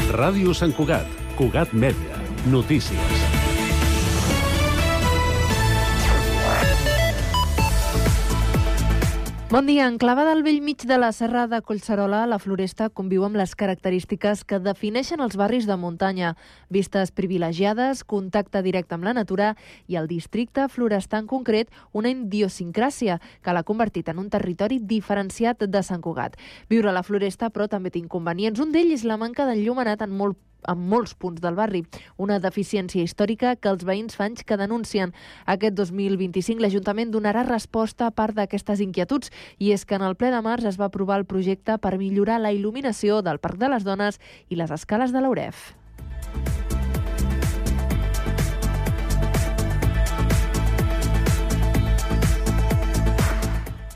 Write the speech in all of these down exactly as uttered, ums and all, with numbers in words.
Ràdio Sant Cugat, Cugat Mèdia, notícies. Bon dia. Enclavada al bell mig de la serra de Collserola, la Floresta conviu amb les característiques que defineixen els barris de muntanya. Vistes privilegiades, contacte directe amb la natura i el districte florestar en concret una idiosincràsia que l'ha convertit en un territori diferenciat de Sant Cugat. Viure a la Floresta, però, també té inconvenients. Un d'ells és la manca d'enllumenat en molt en molts punts del barri, una deficiència històrica que els veïns fa anys que denuncien. Aquest dos mil vint-i-cinc l'Ajuntament donarà resposta a part d'aquestes inquietuds, i és que en el ple de març es va aprovar el projecte per millorar la il·luminació del Parc de les Dones i les escales de l'Auref.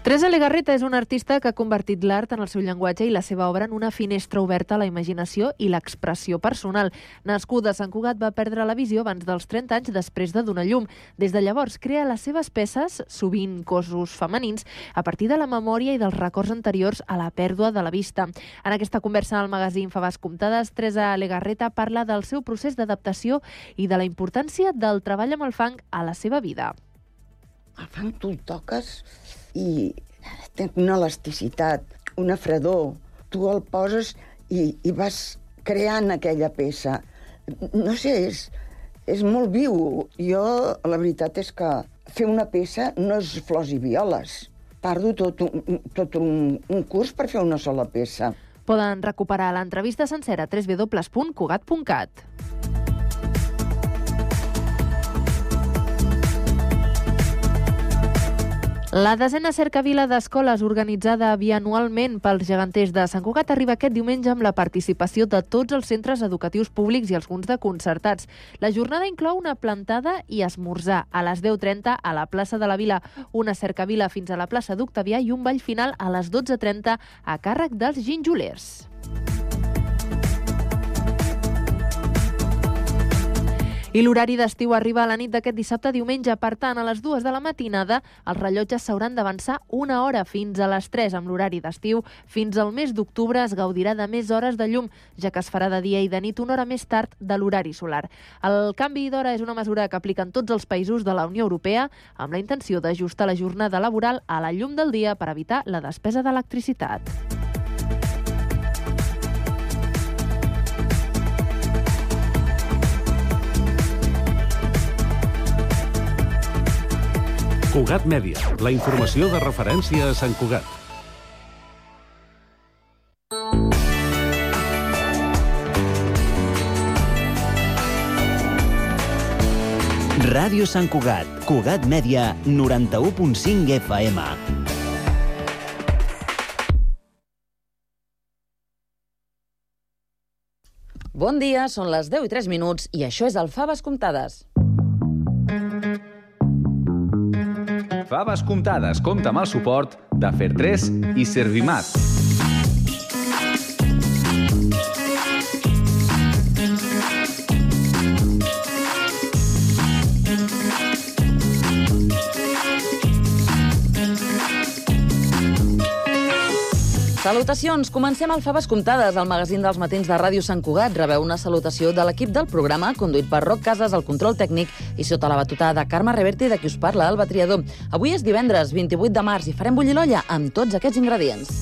Teresa Legarreta és una artista que ha convertit l'art en el seu llenguatge i la seva obra en una finestra oberta a la imaginació i l'expressió personal. Nascuda a Sant Cugat, va perdre la visió abans dels trenta anys després de donar llum. Des de llavors crea les seves peces, sovint cossos femenins, a partir de la memòria i dels records anteriors a la pèrdua de la vista. En aquesta conversa al magazín Faves Comptades, Teresa Legarreta parla del seu procés d'adaptació i de la importància del treball amb el fang a la seva vida. El fang tu el toques i té una elasticitat, una fredor. Tu el poses i, i vas creant aquella peça. No sé, és, és molt viu. Jo, la veritat és que fer una peça no és flors i violes. Tardo tot un, tot un, un curs per fer una sola peça. Poden recuperar l'entrevista sencera a w w w punt cugat punt cat. La desena cercavila d'escoles organitzada bianualment pels geganters de Sant Cugat arriba aquest diumenge amb la participació de tots els centres educatius públics i alguns de concertats. La jornada inclou una plantada i esmorzar a les deu trenta a la plaça de la Vila, una cercavila fins a la plaça d'Octavià i un ball final a les dotze trenta a càrrec dels ginjolers. I l'horari d'estiu arriba a la nit d'aquest dissabte a diumenge. Per tant, a les dues de la matinada, els rellotges s'hauran d'avançar una hora fins a les tres amb l'horari d'estiu. Fins al mes d'octubre es gaudirà de més hores de llum, ja que es farà de dia i de nit una hora més tard de l'horari solar. El canvi d'hora és una mesura que apliquen tots els països de la Unió Europea amb la intenció d'ajustar la jornada laboral a la llum del dia per evitar la despesa d'electricitat. Cugat Mèdia, la informació de referència a Sant Cugat. Ràdio Sant Cugat, Cugat Mèdia, noranta-u punt cinc F M. Bon dia, són les deu i tres minuts i això és el Faves Comptades. Faves Comptades compta amb el suport de Fer tres i Servimat. Salutacions! Comencem el Faves Comptades, el magazín dels matins de Ràdio Sant Cugat. Rebeu una salutació de l'equip del programa, conduït per Roc Casas, el control tècnic, i sota la batuta de Carme Reverte, de qui us parla, Alba Triador. Avui és divendres, vint-i-vuit de març, i farem bullir l'olla amb tots aquests ingredients.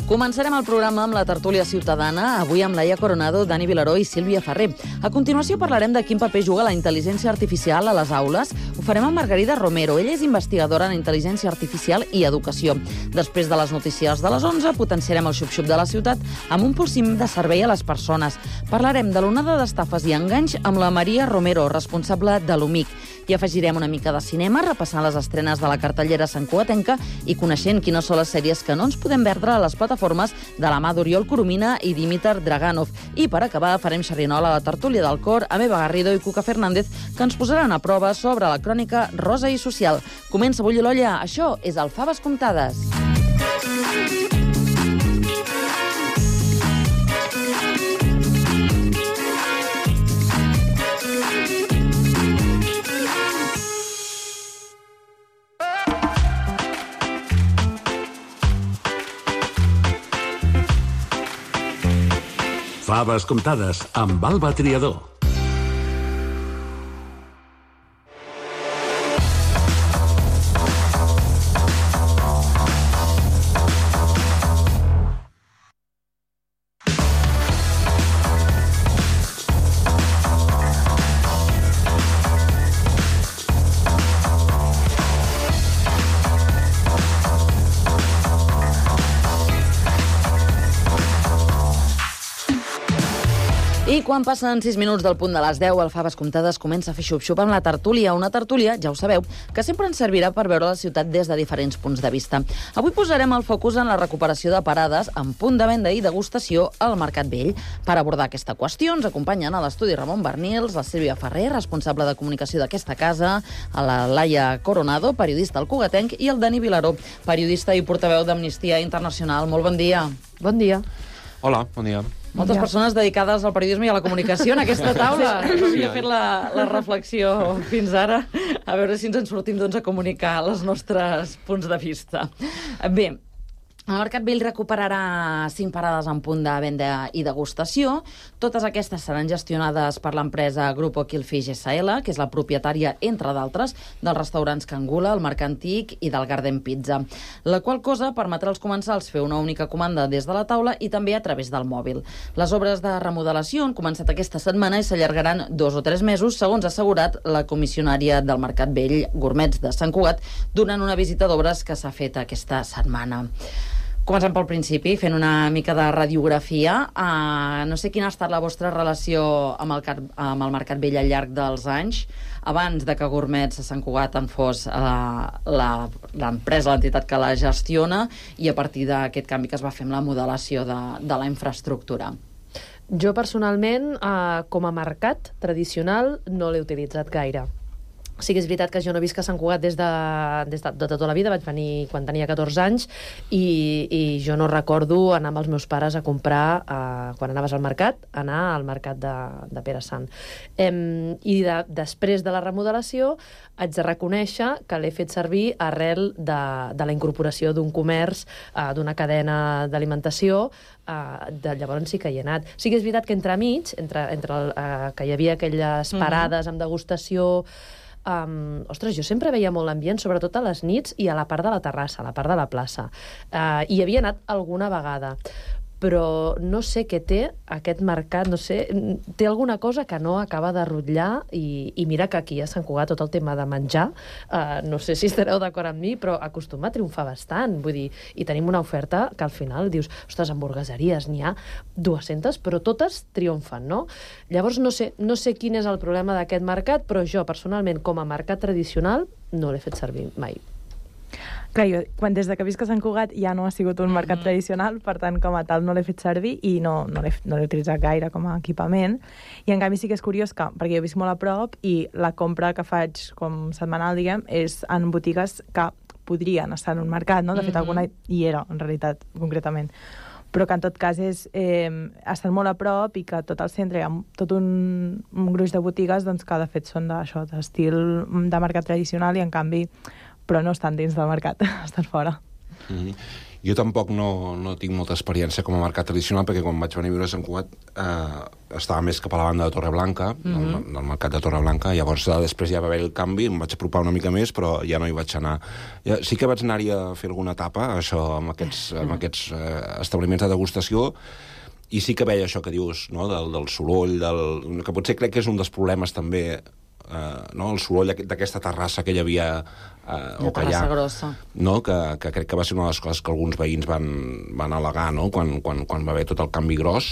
Començarem el programa amb la tertúlia ciutadana, avui amb Laia Coronado, Dani Vilaró i Sílvia Ferrer. A continuació parlarem de quin paper juga la intel·ligència artificial a les aules. Ho farem amb Margarida Romero. Ella és investigadora en intel·ligència artificial i educació. Després de les notícies de les onze, potenciarem el xup-xup de la ciutat amb un pulsim de servei a les persones. Parlarem de l'onada d'estafes i enganys amb la Maria Romero, responsable de l'U M I C. I afegirem una mica de cinema, repassant les estrenes de la cartellera santcugatenca i coneixent quines són les sèries que no ens podem perdre a les plataformes de la mà d'Oriol Coromina i Dimitar Draganov. I per acabar farem xerrinola a la tertúlia del cor amb Eva Garrido i Cuca Fernández, que ens posaran a prova sobre la crònica rosa i social. Comença a bullir l'olla. Això és el Faves Comptades. Faves comptades amb Alba Triador. I quan passen sis minuts del punt de les deu, el Faves Comptades comença a fer xup-xup amb la tertúlia. Una tertúlia, ja ho sabeu, que sempre ens servirà per veure la ciutat des de diferents punts de vista. Avui posarem el focus en la recuperació de parades amb punt de venda i degustació al Mercat Vell. Per abordar aquesta qüestió ens acompanyen a l'estudi Ramon Bernils, la Sílvia Ferrer, responsable de comunicació d'aquesta casa, a la Laia Coronado, periodista al Cugatenc, i el Dani Vilaró, periodista i portaveu d'Amnistia Internacional. Molt bon dia. Bon dia. Hola, bon dia. Moltes persones dedicades al periodisme i a la comunicació en aquesta taula. No havia fet la, la reflexió fins ara. A veure si ens en sortim doncs, a comunicar els nostres punts de vista. Bé, el Mercat Vell recuperarà cinc parades en punt de venda i degustació. Totes aquestes seran gestionades per l'empresa Grupo Quilfish essa ele, que és la propietària, entre d'altres, dels restaurants Cangula, el Mercantic i del Garden Pizza. La qual cosa permetrà als comensals fer una única comanda des de la taula i també a través del mòbil. Les obres de remodelació han començat aquesta setmana i s'allargaran dos o tres mesos, segons ha assegurat la comissionària del Mercat Vell, Gourmets de Sant Cugat, durant una visita d'obres que s'ha fet aquesta setmana. Comencem pel principi, fent una mica de radiografia. Uh, no sé quina ha estat la vostra relació amb el, amb el Mercat Vell al llarg dels anys, abans de que Gourmets a Sant Cugat en fos uh, l'empresa, l'entitat que la gestiona, i a partir d'aquest canvi que es va fer amb la modelació de, de la infraestructura. Jo, personalment, uh, com a mercat tradicional, no l'he utilitzat gaire. Sí que és veritat que jo no visc a Sant Cugat des de, des de, de tota la vida, vaig venir quan tenia catorze anys i, i jo no recordo anar amb els meus pares a comprar, eh, quan anaves al mercat, anar al mercat de, de Pere Sant. Em, I de, després de la remodelació haig de reconèixer que l'he fet servir arrel de, de la incorporació d'un comerç, eh, d'una cadena d'alimentació. Uh, de llavors sí que hi he anat. Sí que és veritat que entremig, entre, entre el, uh, que hi havia aquelles parades amb degustació, Um, ostres, jo sempre veia molt l'ambient, sobretot a les nits i a la part de la terrassa, a la part de la plaça. Uh, hi havia anat alguna vegada, però no sé què té aquest mercat, no sé, té alguna cosa que no acaba de rotllar i, i mira que aquí a Sant Cugat tot el tema de menjar, uh, no sé si estareu d'acord amb mi, però acostuma a triomfar bastant, vull dir, i tenim una oferta que al final dius, ostres, hamburgueseries, n'hi ha dues-centes, però totes triomfen, no? Llavors no sé, no sé quin és el problema d'aquest mercat, però jo personalment com a mercat tradicional no l'he fet servir mai. Clar, jo, quan des de que visc a Sant Cugat ja no ha sigut un mercat mm-hmm. tradicional, per tant, com a tal, no l'he fet servir i no, no l'he no l'he utilitzat gaire com a equipament. I en canvi sí que és curiós que, perquè jo visc molt a prop i la compra que faig com setmanal, diguem, és en botigues que podrien estar en un mercat, no? De fet, mm-hmm. alguna hi era, en realitat, concretament. Però que en tot cas és, eh, estan molt a prop i que tot el centre hi ha tot un, un gruix de botigues doncs, que de fet són d'això, d'estil de mercat tradicional i en canvi però no estan dins del mercat, estan fora. Mm-hmm. Jo tampoc no, no tinc molta experiència com a mercat tradicional, perquè quan vaig venir a viure a Sant Cugat eh, estava més cap a la banda de Torreblanca, mm-hmm. del, del mercat de Torreblanca, llavors després ja va haver el canvi, em vaig apropar una mica més, però ja no hi vaig anar. Ja, sí que vaig anar-hi a fer alguna etapa, això, amb aquests, amb aquests eh, establiments de degustació, i sí que veia això que dius, no? del, del soroll, del, que potser crec que és un dels problemes també, Uh, no? el soroll d'aquesta terrassa que hi havia uh, o que hi ha, grossa. No? Que, que crec que va ser una de les coses que alguns veïns van, van al·legar, no? quan, quan, quan va haver tot el canvi gros.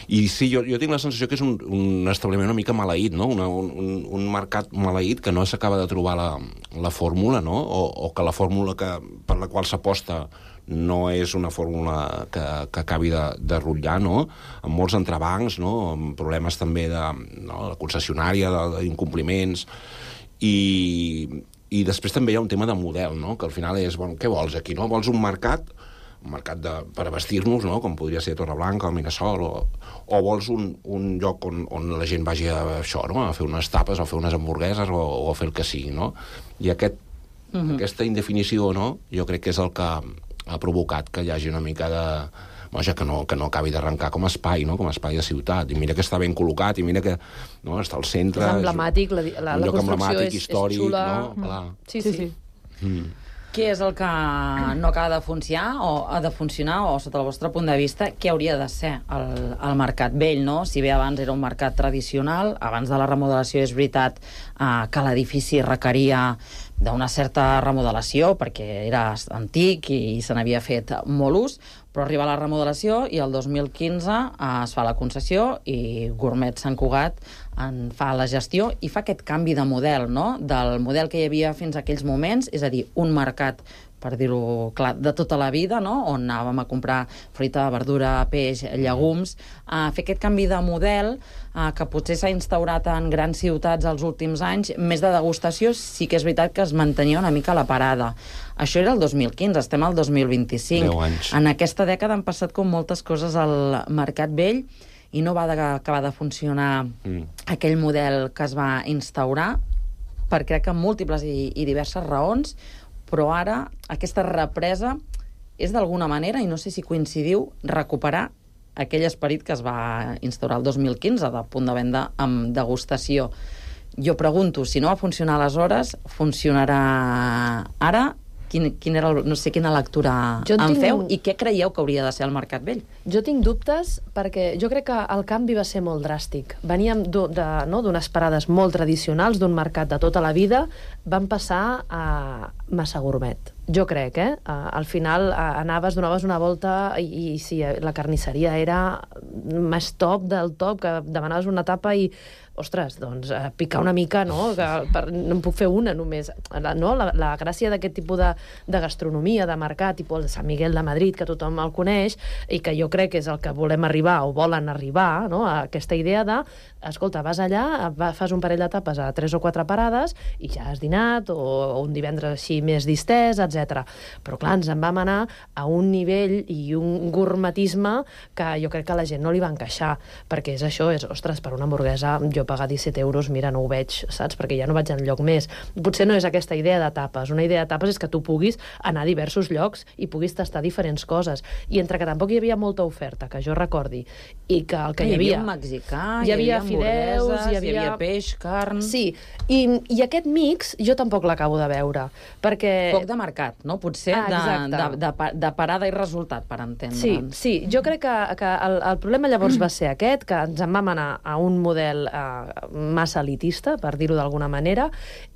I sí, jo, jo tinc la sensació que és un, un establiment una mica maleït, no? una, un, un mercat maleït que no s'acaba de trobar la, la fórmula, no? o, o que la fórmula que, per la qual s'aposta no és una fórmula que, que acabi de, de rotllar, no? Amb molts entrebancs, no? Amb problemes també de, no? la concessionària, d'incompliments, i, i després també hi ha un tema de model, no? Que al final és, bueno, què vols aquí, no? Vols un mercat, un mercat de, per vestir-nos, no? Com podria ser Torreblanca o Mirasol, o, o vols un, un lloc on, on la gent vagi a això, no? A fer unes tapes, o a fer unes hamburgueses, o, o a fer el que sigui, no? I aquest, uh-huh. aquesta indefinició, no? Jo crec que és el que ha provocat que hi hagi una mica de... vaja, que no, que no acabi d'arrencar com a espai, no? Com a espai de ciutat. I mira que està ben col·locat, i mira que no, està al centre... És emblemàtic, la, la, un la lloc construcció emblemàtic, és, històric, és xula. No? Clar. Sí, sí. sí. Mm. Què és el que no acaba de funcionar o ha de funcionar, o sota el vostre punt de vista, què hauria de ser el, el mercat vell, no? Si bé abans era un mercat tradicional, abans de la remodelació és veritat eh, que l'edifici requeria d'una certa remodelació, perquè era antic i se n'havia fet molt ús, però arriba la remodelació i el dos mil quinze eh, es fa la concessió i Gourmet Sant Cugat en fa la gestió i fa aquest canvi de model, no? Del model que hi havia fins a aquells moments, és a dir, un mercat, per dir-ho clar, de tota la vida, no? On anàvem a comprar fruita, verdura, peix, llegums, a fer aquest canvi de model eh, que potser s'ha instaurat en grans ciutats els últims anys, més de degustació, sí que és veritat que es mantenia una mica la parada. Això era el dos mil quinze, estem al dos mil vint-i-cinc. deu anys. En aquesta dècada han passat com moltes coses al mercat vell i no va de, acabar de funcionar mm. aquell model que es va instaurar per crec que múltiples i, i diverses raons, però ara aquesta represa és d'alguna manera, i no sé si coincidiu, recuperar aquell esperit que es va instaurar el dos mil quinze de punt de venda amb degustació. Jo pregunto, si no va funcionar aleshores, funcionarà ara? Quin, quin era el, no sé quina lectura en tinc... feu i què creieu que hauria de ser el mercat vell? Jo tinc dubtes perquè jo crec que el canvi va ser molt dràstic. Veníem d'unes no, parades molt tradicionals, d'un mercat de tota la vida, van passar a massa gourmet. Jo crec, eh? Al final anaves, donaves una volta i, i sí, la carnisseria era més top del top, que demanaves una tapa i ostres, doncs, eh, picar una mica, no? Que per, no en puc fer una només. La, no? la, la gràcia d'aquest tipus de, de gastronomia, de mercat, tipus el de Sant Miguel de Madrid, que tothom el coneix, i que jo crec que és el que volem arribar, o volen arribar, no? A aquesta idea de, escolta, vas allà, fas un parell de tapes a tres o quatre parades, i ja has dinat, o, o un divendres així més distès, etcètera. Però, clar, ens en vam anar a un nivell i un gourmetisme que jo crec que a la gent no li va encaixar, perquè és això, és, ostres, per una hamburguesa, jo pagar disset euros, mira, no ho veig, saps? Perquè ja no vaig enlloc més. Potser no és aquesta idea de tapes. Una idea de tapes és que tu puguis anar a diversos llocs i puguis tastar diferents coses. I entre que tampoc hi havia molta oferta, que jo recordi, i que el que hi, hi havia... havia un mexicà, hi havia fideus, hi havia... hi havia peix, carn... Sí, i, i aquest mix jo tampoc l'acabo de veure, perquè... Poc de mercat, no? Potser ah, de, de, de, de parada i resultat, per entendre'ns. Sí, sí, jo crec que, que el, el problema llavors va ser aquest, que ens en vam anar a un model eh, massa elitista, per dir-ho d'alguna manera,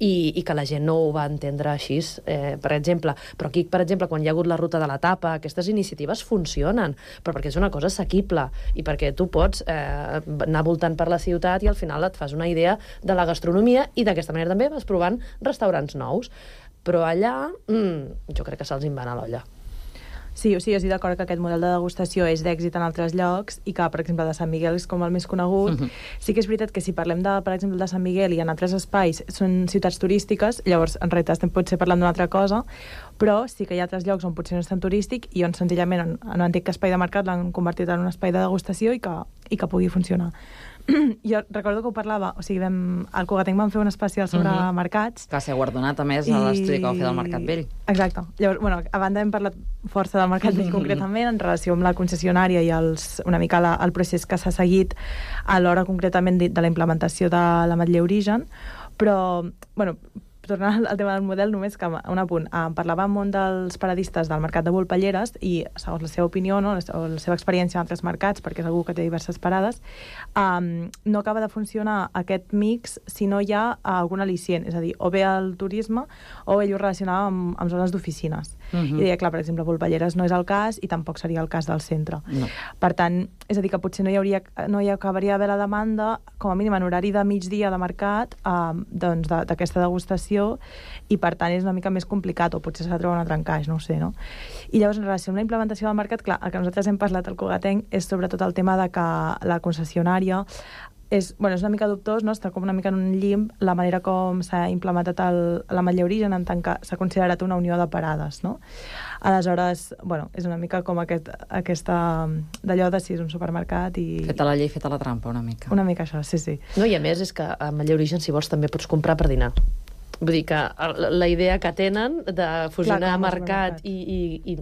i, i que la gent no ho va entendre així, eh, per exemple. Però aquí, per exemple, quan hi ha hagut la ruta de la tapa, aquestes iniciatives funcionen, però perquè és una cosa assequible, i perquè tu pots eh, anar voltant per la ciutat i al final et fas una idea de la gastronomia, i d'aquesta manera també vas provant restaurants nous. Però allà, mm, jo crec que se'ls en va anar a l'olla. Sí, o sigui, jo estic d'acord que aquest model de degustació és d'èxit en altres llocs i que, per exemple, de Sant Miguel és com el més conegut. Uh-huh. Sí que és veritat que si parlem, de, per exemple, de Sant Miguel i en altres espais són ciutats turístiques, llavors, en realitat, estem potser parlant d'una altra cosa, però sí que hi ha altres llocs on potser no és tan turístic i on senzillament en, en un antic espai de mercat l'han convertit en un espai de degustació i que, i que pugui funcionar. Jo recordo que ho parlava, o sigui, vam, al Cugatenc vam fer un especial sobre uh-huh. mercats. Que s'ha guardonat, a més, a l'estudi que va fer del Mercat Vell. Exacte. Llavors, bueno, a banda hem parlat força del Mercat Vell concretament, en relació amb la concessionària i els, una mica la, el procés que s'ha seguit a l'hora concretament de, de la implementació de l'Ametller Origen, però, bueno, tornant al tema del model, només que un apunt. Um, parlava amb un dels paradistes del mercat de Volpelleres i, segons la seva opinió, no, o la seva experiència en altres mercats, perquè és algú que té diverses parades, um, no acaba de funcionar aquest mix si no hi ha algun al·licient, és a dir, o bé el turisme o ell ho relacionava amb, amb zones d'oficines. Uh-huh. I deia, clar, per exemple, Volpelleres no és el cas i tampoc seria el cas del centre. No. Per tant, és a dir, que potser no hi, hauria, no hi acabaria d'haver la demanda, com a mínim en horari de migdia de mercat, um, doncs d'aquesta degustació, i per tant és una mica més complicat o potser s'ha de trobar un altre encaix, no ho sé, no? I llavors en relació amb la implementació del mercat, clar, el que nosaltres hem parlat al Cugatenc és sobretot el tema de que la concessionària és, bueno, és una mica dubtós, no? Està com una mica en un llimb la manera com s'ha implementat l'Ametller Origen en tant que s'ha considerat una unió de parades, no? Aleshores, bueno, és una mica com aquest, aquesta d'allò de si és un supermercat i... Feta la llei, feta la trampa, una mica. Una mica això, sí, sí. No, i a més és que a Ametller Origen, si vols, també pots comprar per dinar. Vull dir que la idea que tenen de fusionar Clar, mercat i, i, i,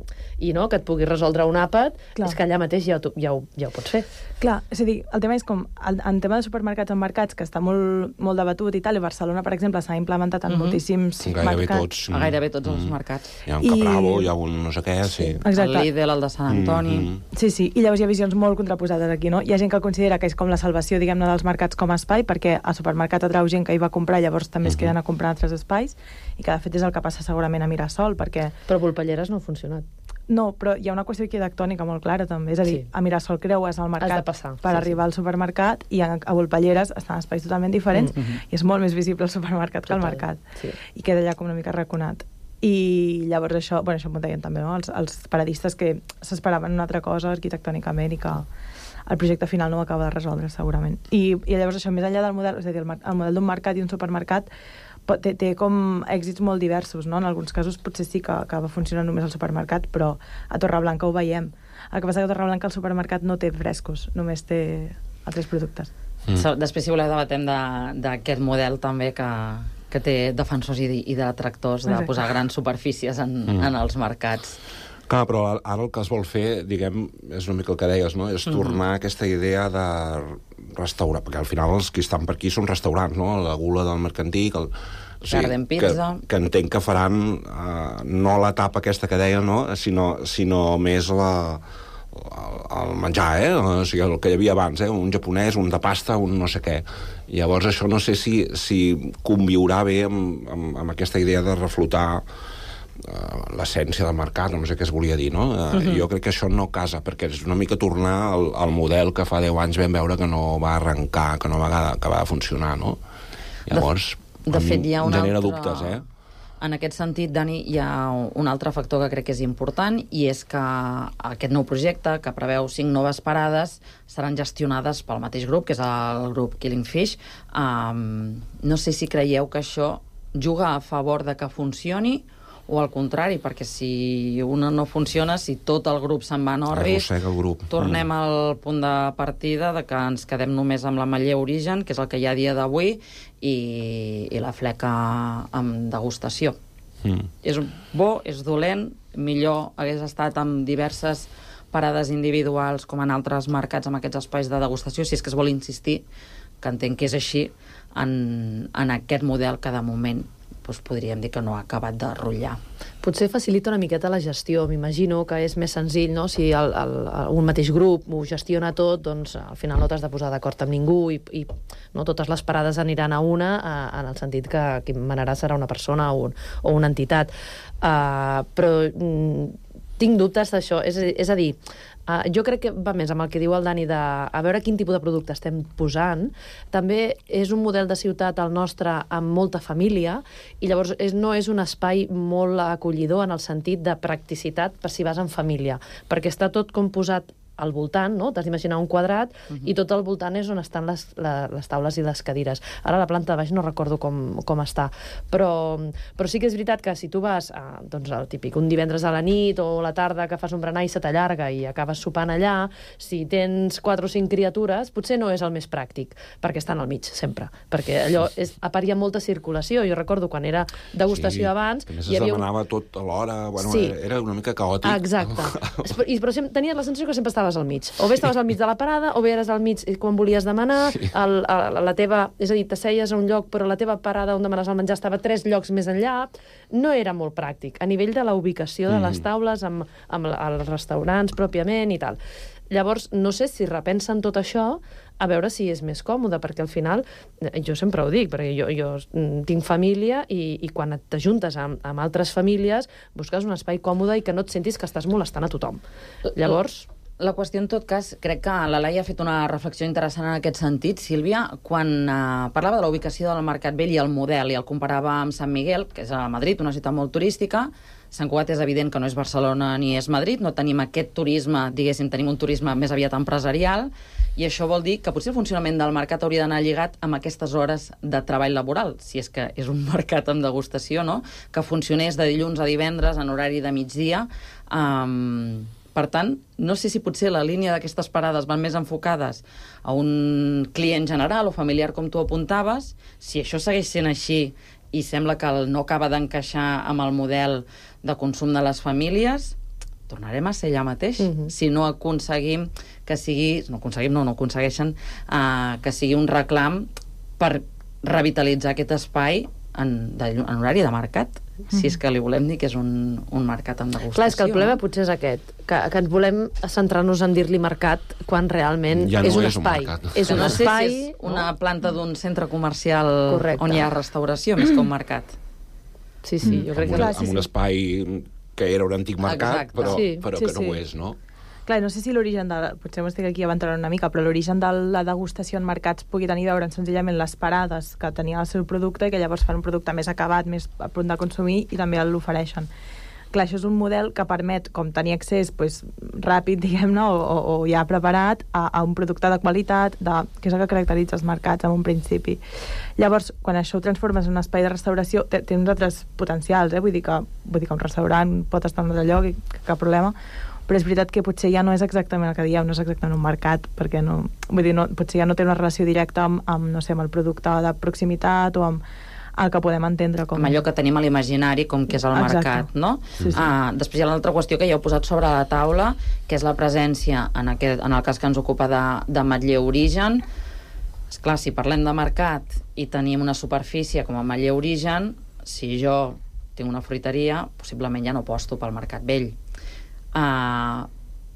i no, que et pugui resoldre un àpat, Clar. és que allà mateix ja, ho, ja, ho, ja ho pots fer. Clar, és a dir, el tema és com, el, en tema de supermercats en mercats, que està molt, molt debatut i tal, i Barcelona, per exemple, s'ha implementat en Mhm. moltíssims Gairebé mercats. tots. A gairebé tots els Mm. mercats. Hi ha un I- Capravo, hi ha un no sé què, sí. Exacte. El Lidl, el de Sant Antoni... Mhm. Sí, sí, i llavors hi ha visions molt contraposades aquí, no? Hi ha gent que considera que és com la salvació, diguem-ne, dels mercats com a espai, perquè al supermercat atrau gent que hi va a comprar, llavors també es Mhm. queden a comprar altres espais, i que de fet és el que passa segurament a Mirasol, perquè... Però Volpelleres no ha funcionat. No, però hi ha una qüestió arquitectònica molt clara, també. És a dir, Sí. a Mirasol creues el mercat Has de passar, per sí, arribar sí. al supermercat, i a, a Volpelleres estan espais totalment diferents, Mm. i és molt més visible el supermercat que el Total, mercat. sí. I queda allà com una mica raconat. I llavors això, bueno, això m'ho deien també, no? Els, els paradistes que s'esperaven una altra cosa arquitectònicament i que el projecte final no ho acaba de resoldre, segurament. I, i llavors això, més enllà del model, és a dir, el, mer- el model d'un mercat i un supermercat pot- té, té com èxits molt diversos, no? En alguns casos potser sí que acaba funcionant només el supermercat, però a Torreblanca ho veiem. El que passa que a Torreblanca el supermercat no té frescos, només té altres productes. Mm. Després, si voleu, debatem de- d'aquest model també que, que té defensors i, i detractors de Exacte. posar grans superfícies en, Mm. en els mercats. Clar, però ara el que es vol fer, diguem, és una mica el que deies, no? És tornar a aquesta idea de restaurar, perquè al final els que estan per aquí són restaurants, no? La Gula del Mercantic, el... Garden Pizza. Que, que entenc que faran uh, no l'etapa aquesta que deia, no? Sinó, sinó més la, el, el menjar, eh? O sigui, el que hi havia abans, eh? Un japonès, un de pasta, un no sé què. I llavors això no sé si, si conviurà bé amb, amb, amb aquesta idea de reflotar uh, l'essència del mercat, no sé què es volia dir, no? Uh, uh-huh. Jo crec que això no casa, perquè és una mica tornar al, al model que fa deu anys vam veure que no va arrencar, que no va acabar de funcionar, no? Llavors, De, de fet, hi ha un genera altre... dubtes, eh? En aquest sentit, Dani, hi ha un altre factor que crec que és important, i és que aquest nou projecte, que preveu cinc noves parades, seran gestionades pel mateix grup, que és el grup Killing Fish. Um, no sé si creieu que això juga a favor de que funcioni, o al contrari, perquè si una no funciona, si tot el grup se'n va a Norris, Arrossega el grup. tornem al punt de partida de que ens quedem només amb la Maller Origen, que és el que hi ha a dia d'avui, i, i la fleca amb degustació. Mm. És bo, és dolent, millor hagués estat amb diverses parades individuals com en altres mercats amb aquests espais de degustació, si és que es vol insistir, que entenc que és així, en, en aquest model que de moment doncs podríem dir que no ha acabat de rotllar. Potser facilita una miqueta la gestió. M'imagino que és més senzill, no? Si el, el, un mateix grup ho gestiona tot, doncs al final no t'has de posar d'acord amb ningú i, i no, totes les parades aniran a una, a, en el sentit que qui manarà serà una persona o, un, o una entitat. Uh, però mm, tinc dubtes d'això. És, és a dir, Uh, jo crec que va més amb el que diu el Dani de a veure quin tipus de producte estem posant. També és un model de ciutat el nostre amb molta família, i llavors és, no és un espai molt acollidor en el sentit de practicitat per si vas en família, perquè està tot com posat al voltant, no? T'has d'imaginar un quadrat, uh-huh. i tot al voltant és on estan les, la, les taules i les cadires. Ara la planta de baix no recordo com, com està, però, però sí que és veritat que si tu vas a, doncs, el típic, un divendres a la nit o a la tarda que fas un berenar i se t'allarga i acabes sopant allà, si tens quatre o cinc criatures, potser no és el més pràctic, perquè estan al mig, sempre. Perquè allò, és, a part hi ha molta circulació. Jo recordo quan era degustació sí, abans... A més hi es havia demanava un... tot a l'hora, bueno, sí. era una mica caòtic. Exacte. I, però sempre, tenies la sensació que sempre estaves al mig. O bé estaves al mig de la parada, o bé eres al mig quan volies demanar, sí. el, el, la teva, és a dir, t'asseies a un lloc, però la teva parada on demanes el menjar estava tres llocs més enllà. No era molt pràctic, a nivell de la ubicació de les taules, amb, amb els restaurants pròpiament i tal. Llavors, no sé si repensen tot això a veure si és més còmode, perquè al final, jo sempre ho dic, perquè jo, jo tinc família i, i quan t'ajuntes amb, amb altres famílies, busques un espai còmode i que no et sentis que estàs molestant a tothom. Llavors... La qüestió, en tot cas, crec que la Laia ha fet una reflexió interessant en aquest sentit. Sílvia, quan eh, parlava de la ubicació del Mercat Vell i el model, i el comparava amb Sant Miguel, que és a Madrid, una ciutat molt turística, Sant Cugat és evident que no és Barcelona ni és Madrid, no tenim aquest turisme, diguéssim, tenim un turisme més aviat empresarial, i això vol dir que potser el funcionament del mercat hauria d'anar lligat amb aquestes hores de treball laboral, si és que és un mercat amb degustació, no? Que funcionés de dilluns a divendres en horari de migdia. Um, per tant, no sé si potser la línia d'aquestes parades van més enfocades a un client general o familiar, com tu apuntaves. Si això segueix sent així i sembla que no acaba d'encaixar amb el model de consum de les famílies, tornarem a ser allà mateix. Uh-huh. Si no aconseguim que sigui... No aconseguim, no, no aconsegueixen uh, que sigui un reclam per revitalitzar aquest espai en, de, en horari de mercat, uh-huh. si és que li volem dir que és un, un mercat amb degustació. Clar, és que el problema potser és aquest, que, que ens volem centrar-nos en dir-li mercat quan realment ja no és un és espai. Un és un no sé espai... si és una planta d'un centre comercial Correcte. On hi ha restauració, més que un mercat. Sí, sí, jo crec amb que... Una, amb un espai que era un antic mercat, Exacte. però, Sí, però sí, que no sí. ho és, no? Clar, no sé si l'origen de... Potser m'estic aquí aventurant una mica, però l'origen de la degustació en mercats pugui tenir a veure senzillament les parades que tenia el seu producte i que llavors fan un producte més acabat, més a punt de consumir i també l'ofereixen. Clar, això és un model que permet com tenir accés pues, ràpid, diguem-ne, o, o, o ja preparat a, a un producte de qualitat, de, que és el que caracteritza els mercats en un principi. Llavors, quan això ho transformes en un espai de restauració, té, té uns altres potencials, eh? vull, dir que, vull dir que un restaurant pot estar en un altre lloc i cap problema, però és veritat que potser ja no és exactament el que dieu, no és exactament un mercat, perquè no, vull dir, no, potser ja no té una relació directa amb, amb, no sé, amb el producte de proximitat o amb el que podem entendre com... Amb allò que tenim a l'imaginari, com que és el Exacte. mercat, no? Sí, sí. Ah, després hi ha l'altra qüestió que ja heu posat sobre la taula, que és la presència, en, aquest, en el cas que ens ocupa de, de Matller Origen. Esclar, si parlem de mercat i tenim una superfície com a Matller Origen, si jo tinc una fruiteria, possiblement ja no aposto pel mercat vell. Uh,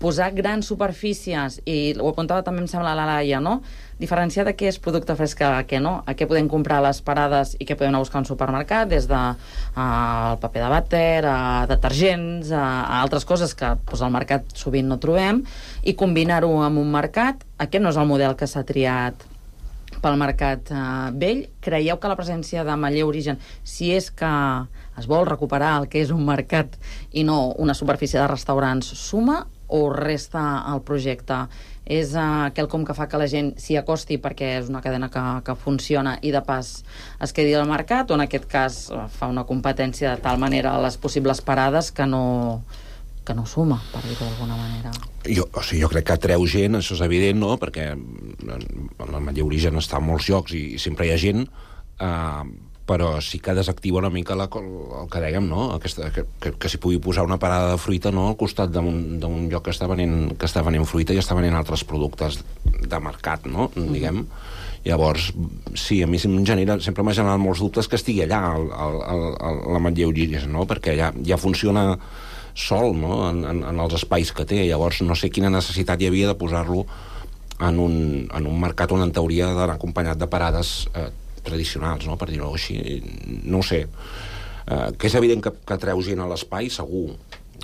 posar grans superfícies, i ho apuntava també em sembla la Laia, no? Diferenciar de què és producte fresc a què no, a què podem comprar a les parades i què podem anar a buscar a un supermercat, des de uh, el paper de vàter, a detergents, a, a altres coses que pues, al mercat sovint no trobem, i combinar-ho amb un mercat. Aquest no és el model que s'ha triat pel mercat eh, vell. Creieu que la presència de Matller Origen, si és que es vol recuperar el que és un mercat i no una superfície de restaurants, suma o resta el projecte? És uh, quelcom que fa que la gent s'hi acosti perquè és una cadena que, que funciona i de pas es quedi al mercat, o en aquest cas uh, fa una competència de tal manera a les possibles parades que no, que no suma, per dir-ho d'alguna manera? Jo, o sigui, jo crec que atreu gent, això és evident, no? Perquè el Matller Origen està en molts llocs i, i sempre hi ha gent, eh, però sí que desactiva una mica la, el que dèiem, no? Aquesta, que, que, que s'hi pugui posar una parada de fruita, no? Al costat d'un lloc que està, venent, que està venent fruita i està venent altres productes de mercat, no? Mm. Diguem. Llavors, sí, a mi em genera, sempre m'ha generat molts dubtes que estigui allà el, el, el, el, la Matller Origen, no? Perquè ja, ja funciona sol, no? En, en, en els espais que té. Llavors no sé quina necessitat hi havia de posar-lo en un, en un mercat on en teoria d'anar acompanyat de parades eh, tradicionals, no? Per dir-ho així. No ho sé. Eh, que és evident que, que treu gent a l'espai, segur.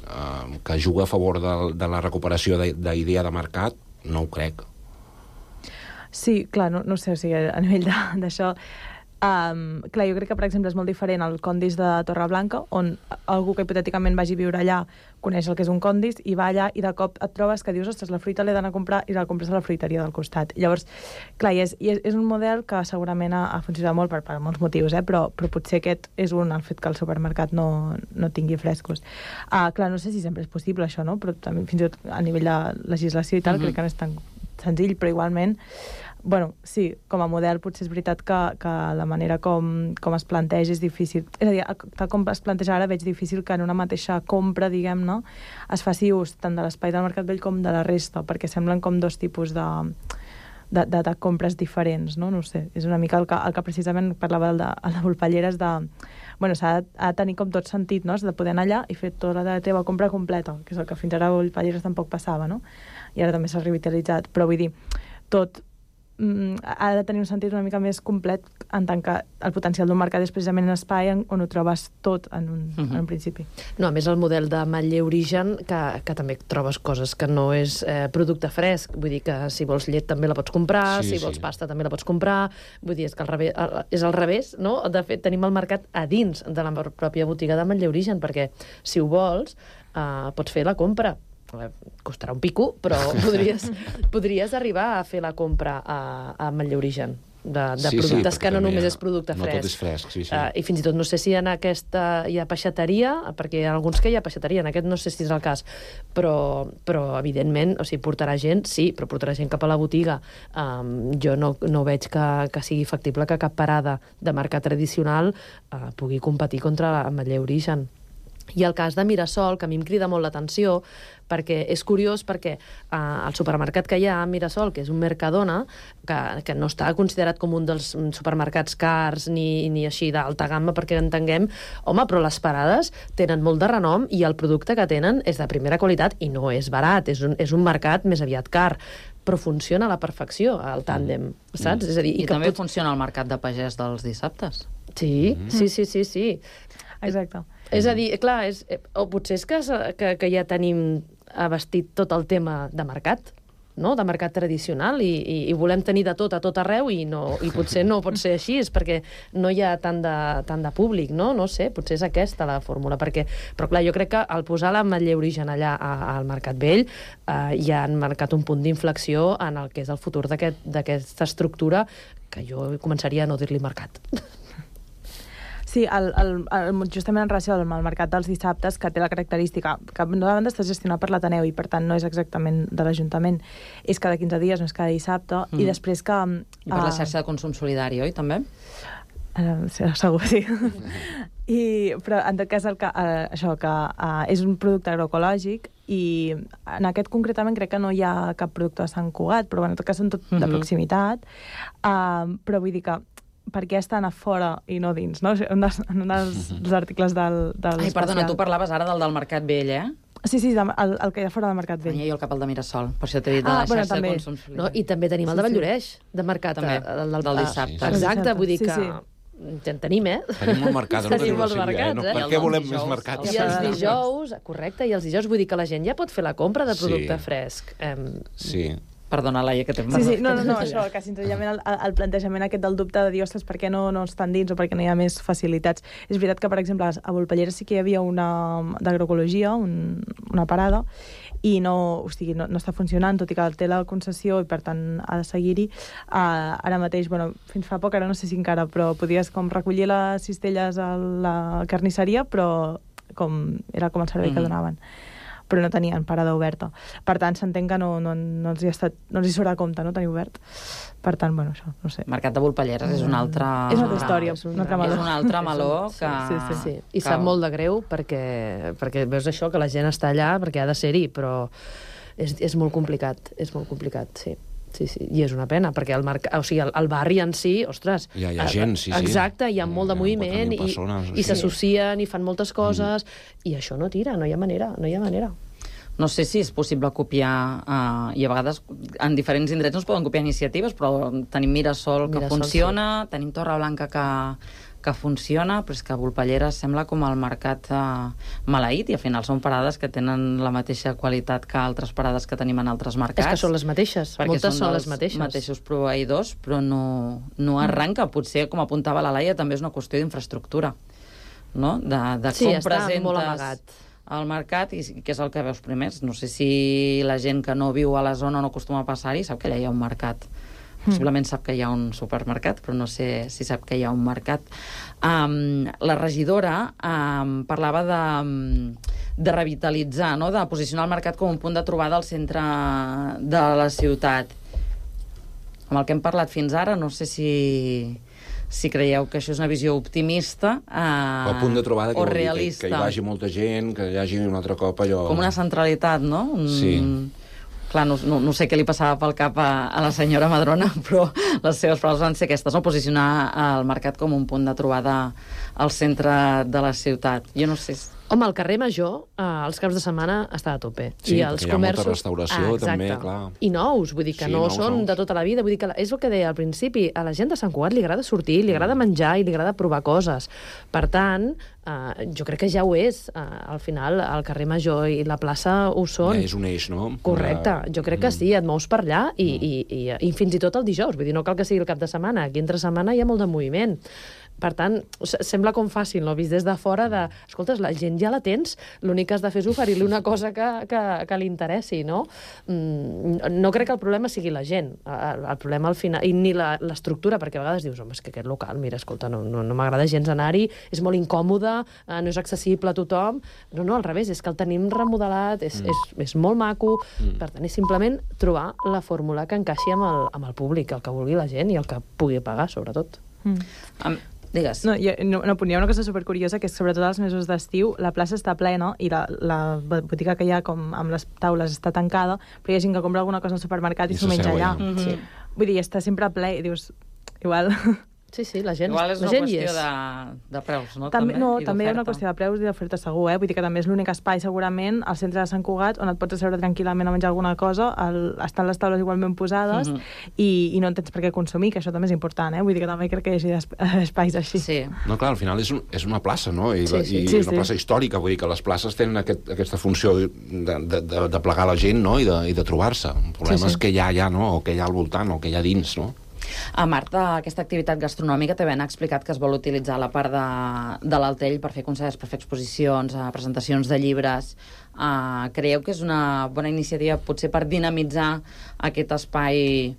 Eh, que juga a favor de, de la recuperació d'idea de, de mercat, no ho crec. Sí, clar, no, no sé, o sigui, a nivell d'això... Um, clar, jo crec que, per exemple, és molt diferent el Condis de Torreblanca, on algú que hipotèticament vagi a viure allà coneix el que és un Condis i va allà i de cop et trobes que dius, ostres, la fruita l'he d'anar a comprar i la compres a la fruiteria del costat. Llavors, clar, i és, i és, és un model que segurament ha, ha funcionat molt per, per molts motius, eh? però, però potser aquest és un, el fet que el supermercat no, no tingui frescos. Uh, clar, no sé si sempre és possible això, no? Però també fins i tot a nivell de legislació i tal, mm-hmm. crec que no és tan senzill, però igualment bueno, sí, com a model potser és veritat que, que la manera com, com es planteja és difícil. És a dir, tal com es planteja ara veig difícil que en una mateixa compra, diguem-ne, es faci ús tant de l'espai del Mercat Vell com de la resta, perquè semblen com dos tipus de, de, de, de compres diferents, no? No ho sé, és una mica el que, el que precisament parlava de, de Volpelleres de... Bueno, s'ha de, de tenir com tot sentit, no? Has de poder anar allà i fer tota la teva compra completa, que és el que fins ara a Volpelleres tampoc passava, no? I ara també s'ha revitalitzat, però vull dir, tot ha de tenir un sentit una mica més complet en tant que el potencial d'un mercat és precisament un espai on ho trobes tot en un, uh-huh. en un principi. No, a més el model de Matller Origen que, que també trobes coses que no és eh, producte fresc, vull dir que si vols llet també la pots comprar, sí, si vols sí. pasta també la pots comprar, vull dir és que al revés, és al revés, no? De fet tenim el mercat a dins de la pròpia botiga de Matller Origen, perquè si ho vols eh, pots fer la compra. Costarà un pico, però podries, podries arribar a fer la compra a, a Matller Origen. de, de Sí, sí, productes perquè que no també només hi ha- és producte no fresc. tot és fresc, sí, sí. Uh, I fins i tot no sé si en aquesta hi ha peixateria, perquè hi ha alguns que hi ha peixateria, en aquest no sé si és el cas, però, però evidentment, o sigui, portarà gent, sí, però portarà gent cap a la botiga. Um, jo no, no veig que, que sigui factible que cap parada de mercat tradicional uh, pugui competir contra l'Ametller Origen. I el cas de Mirasol, que a mi em crida molt l'atenció, perquè és curiós perquè eh, el supermercat que hi ha a Mirasol, que és un Mercadona, que, que no està considerat com un dels supermercats cars ni, ni així d'alta gamma, perquè entenguem, home, però les parades tenen molt de renom i el producte que tenen és de primera qualitat i no és barat, és un, és un mercat més aviat car, però funciona a la perfecció, el tàndem, mm. saps? Mm. És a dir, I, i també pot... funciona el mercat de pagès dels dissabtes. Sí, mm. sí, sí, sí, sí. Exacte. És a dir, clar, és, o potser és que, que, que ja tenim abastit tot el tema de mercat, no? De mercat tradicional, i, i, i volem tenir de tot a tot arreu, i, no, i potser no pot ser així, és perquè no hi ha tant de, tant de públic, no? No sé, potser és aquesta la fórmula, perquè, però clar, jo crec que al posar l'Ametller Origen allà a, al Mercat Vell eh, ja han marcat un punt d'inflexió en el que és el futur d'aquesta aquest, estructura, que jo començaria a no dir-li mercat. Sí, el, el, el, justament en relació al mercat dels dissabtes, que té la característica que d'una banda està gestionat per l'Ateneu i per tant no és exactament de l'Ajuntament, és cada quinze dies, no és cada dissabte, mm. i després que... I per uh, la xarxa de consum solidari, oi, també? Uh, segur, sí. I, però en tot cas el que, uh, això, que uh, és un producte agroecològic i en aquest concretament crec que no hi ha cap producte de Sant Cugat, però bueno, en tot cas són tot mm-hmm. de proximitat, uh, però vull dir que per què estan a fora i no dins, no? En un dels, dels articles del, del Ai, perdona, tu parlaves ara del del Mercat Vell, eh? Sí, sí, el, el que hi ha fora del Mercat Vell. Ai, jo el cap al de Mirasol, per això t'he dit de ah, la bueno, xarxa també. de consum solidari. No? I també tenim el de Valldoreix, de mercat també, del, del, del dissabte. Ah, exacte, vull dir sí, que... Sí. En tenim, eh? Tenim molt mercat, no tenim tenim molts mercats, no? eh? Per què volem més mercats? I els dijous, correcte, i els dijous vull dir que la gent ja pot fer la compra de producte sí. fresc. Um, sí. Perdona, Laia, que t'hem Sí, sí, no, no, no, això, que senzillament el, el plantejament aquest del dubte de dir, ostres, per què no, no estan dins o per què no hi ha més facilitats. És veritat que, per exemple, a Volpellera sí que hi havia una d'agroecologia, un, una parada, i no, o sigui, no, no està funcionant, tot i que té la concessió i, per tant, ha de seguir-hi. Uh, ara mateix, bueno, fins fa poc, ara no sé si encara, però podies com recollir les cistelles a la carnisseria, però com era com el servei mm. que donaven. Però no tenien parada oberta. Per tant, s'entén que no, no, no, els hi ha estat, no els hi surt a compte, no, tenir obert. Per tant, bueno, això, no sé. Mercat de Volpelleres és una altra... És una altra història, és un altre meló. És un altre meló que... Sí, sí, sí. I sap molt de greu perquè, perquè veus això, que la gent està allà perquè ha de ser-hi, però és, és molt complicat, és molt complicat, sí. Sí, sí, i és una pena, perquè el, marc... o sigui, el, el barri en si, ostres... Hi ha, hi ha gent, sí, sí. Exacte, hi ha molt de moviment i, persones, i s'associen i fan moltes coses, mm. i això no tira, no hi ha manera, no hi ha manera. No sé si és possible copiar, uh, i a vegades en diferents indrets no es poden copiar iniciatives, però tenim Mirasol que Mirasol, funciona, sí. Tenim Torreblanca que, que funciona, però és que Volpellera sembla com el mercat uh, maleït, i al final són parades que tenen la mateixa qualitat que altres parades que tenim en altres mercats. És que són les mateixes, moltes són, són les mateixes. mateixos proveïdors, però no, no arranca. Mm. Potser, com apuntava la Laia, també és una qüestió d'infraestructura, no? De, de sí, com està presentes... molt amagat al mercat, i que és el que veus primers. No sé si la gent que no viu a la zona no acostuma a passar-hi sap que allà hi ha un mercat. Possiblement sap que hi ha un supermercat, però no sé si sap que hi ha un mercat. Um, la regidora um, parlava de, de revitalitzar, no? De posicionar el mercat com un punt de trobada al centre de la ciutat. Amb el que hem parlat fins ara, no sé si... si creieu que això és una visió optimista eh, el punt de trobada que o vol dir realista. Que, que hi vagi molta gent, que hi hagi un altre cop allò... Com una centralitat, no? Un... Sí. Clar, no, no, no sé què li passava pel cap a, a la senyora Madrona, però les seves paraules van ser aquestes, no? Posicionar el mercat com un punt de trobada al centre de la ciutat. Jo no sé... Home, el carrer Major, eh, els caps de setmana, està a tope. Sí, I els perquè hi ha comerços... molta restauració, ah, també, clar. I nous, vull dir que Sí, no nous, són nous. de tota la vida. Vull dir que és el que deia al principi, a la gent de Sant Cugat li agrada sortir, li agrada menjar i li agrada provar coses. Per tant, eh, jo crec que ja ho és. Eh, al final, el carrer Major i la plaça ho són. Ja és un eix, no? Correcte, jo crec que sí, et mous per allà i, i, i, i fins i tot el dijous, vull dir, no cal que sigui el cap de setmana, aquí entre setmana hi ha molt de moviment. Per tant, sembla com fàcil, no? Vist des de fora de... Escoltes, la gent ja la tens, l'únic que has de fer és oferir-li una cosa que, que, que li interessi, no? Mm, no crec que el problema sigui la gent, el, el problema al final... I ni l'estructura, perquè a vegades dius, home, és que aquest local, mira, escolta, no, no, no m'agrada gens anar-hi, és molt incòmode, eh, no és accessible a tothom... No, no, al revés, és que el tenim remodelat, és, mm. és, és molt maco, mm. per tant, és simplement trobar la fórmula que encaixi amb el, amb el públic, el que vulgui la gent i el que pugui pagar, sobretot. Mm. Um, Digues. No, jo, no, no, hi ha una cosa supercuriosa, que és sobretot als mesos d'estiu la plaça està plena i la, la botiga que hi ha com amb les taules està tancada, però hi ha gent que compra alguna cosa al supermercat i, I s'ho menja allà. Mm-hmm. Sí. Vull dir, està sempre ple i dius, igual... Sí, sí, la gent, igual és la una gent qüestió de, de preus, no? També, també no, també hi ha una qüestió de preus i d'oferta segur, eh? Vull dir que també és l'únic espai, segurament, al centre de Sant Cugat, on et pots asseure tranquil·lament a menjar alguna cosa, el, estan les taules igualment posades, mm-hmm. i, i no en tens per què consumir, que això també és important, eh? Vull dir que també crec que hi hagi espais així. Sí. No, clar, al final és, un, és una plaça, no? I, sí, sí. i sí, és una sí. plaça històrica, vull dir que les places tenen aquest, aquesta funció de, de, de, de plegar la gent, no? I de, i de trobar-se. El problema sí, sí. és què hi ha allà, no? O què hi ha al voltant, o què hi ha dins, no? A Marta, aquesta activitat gastronòmica també ha explicat que es vol utilitzar la part de, de l'Altell per fer concerts, per fer exposicions, presentacions de llibres. Uh, creieu que és una bona iniciativa potser per dinamitzar aquest espai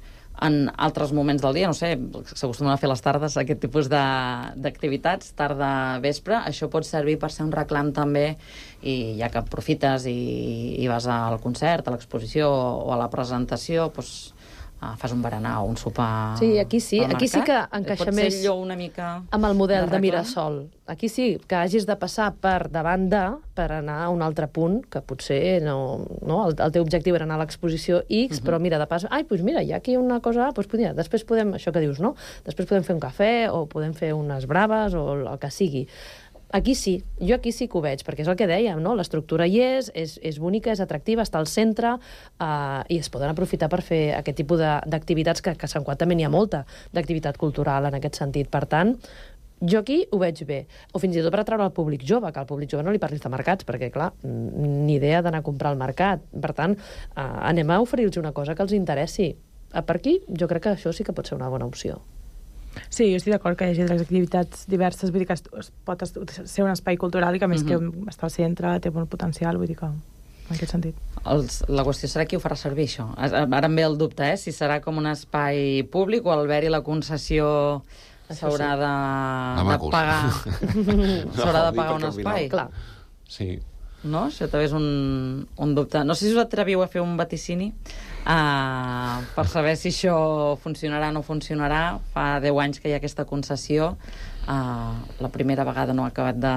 en altres moments del dia? No sé, s'acostumen a fer les tardes aquest tipus d'activitats, tarda, vespre. Això pot servir per ser un reclam també, i ja que aprofites i, i vas al concert, a l'exposició o a la presentació, doncs Uh, fas un berenar o un sopar. Sí, aquí sí, aquí sí que encaixa més allò una mica amb el model de, de Mirasol. Aquí sí, que hagis de passar per davant de, per anar a un altre punt, que potser no, no el, el teu objectiu era anar a l'exposició X, uh-huh. però mira, de pas, ai, doncs mira, hi ha aquí una cosa, doncs podria, després podem, això que dius, no? Després podem fer un cafè, o podem fer unes braves, o el que sigui. Aquí sí, jo aquí sí que ho veig, perquè és el que dèiem, no? L'estructura hi és, és, és bonica, és atractiva, està al centre, eh, i es poden aprofitar per fer aquest tipus d'activitats, que, que a Sant Cugat també n'hi ha molta d'activitat cultural en aquest sentit. Per tant, jo aquí ho veig bé. O fins i tot per atraure el públic jove, que al públic jove no li parlis de mercats, perquè, clar, ni idea d'anar a comprar al mercat. Per tant, eh, anem a oferir-los una cosa que els interessi. Per aquí, jo crec que això sí que pot ser una bona opció. Sí, jo estic d'acord que hi hagi les activitats diverses, vull dir que es pot ser un espai cultural i que, a més, mm-hmm. que està al centre, té molt potencial, vull dir que en aquest sentit. Els, la qüestió serà qui ho farà servir, això. Ara em ve el dubte, eh? Si serà com un espai públic o al haver-hi la concessió s'haurà de, de pagar s'haurà de pagar un espai. Clar. Sí. No? Això també és un, un dubte. No sé si us atreviu a fer un vaticini uh, per saber si això funcionarà o no funcionarà. Fa deu anys que hi ha aquesta concessió. Uh, la primera vegada no ha acabat de,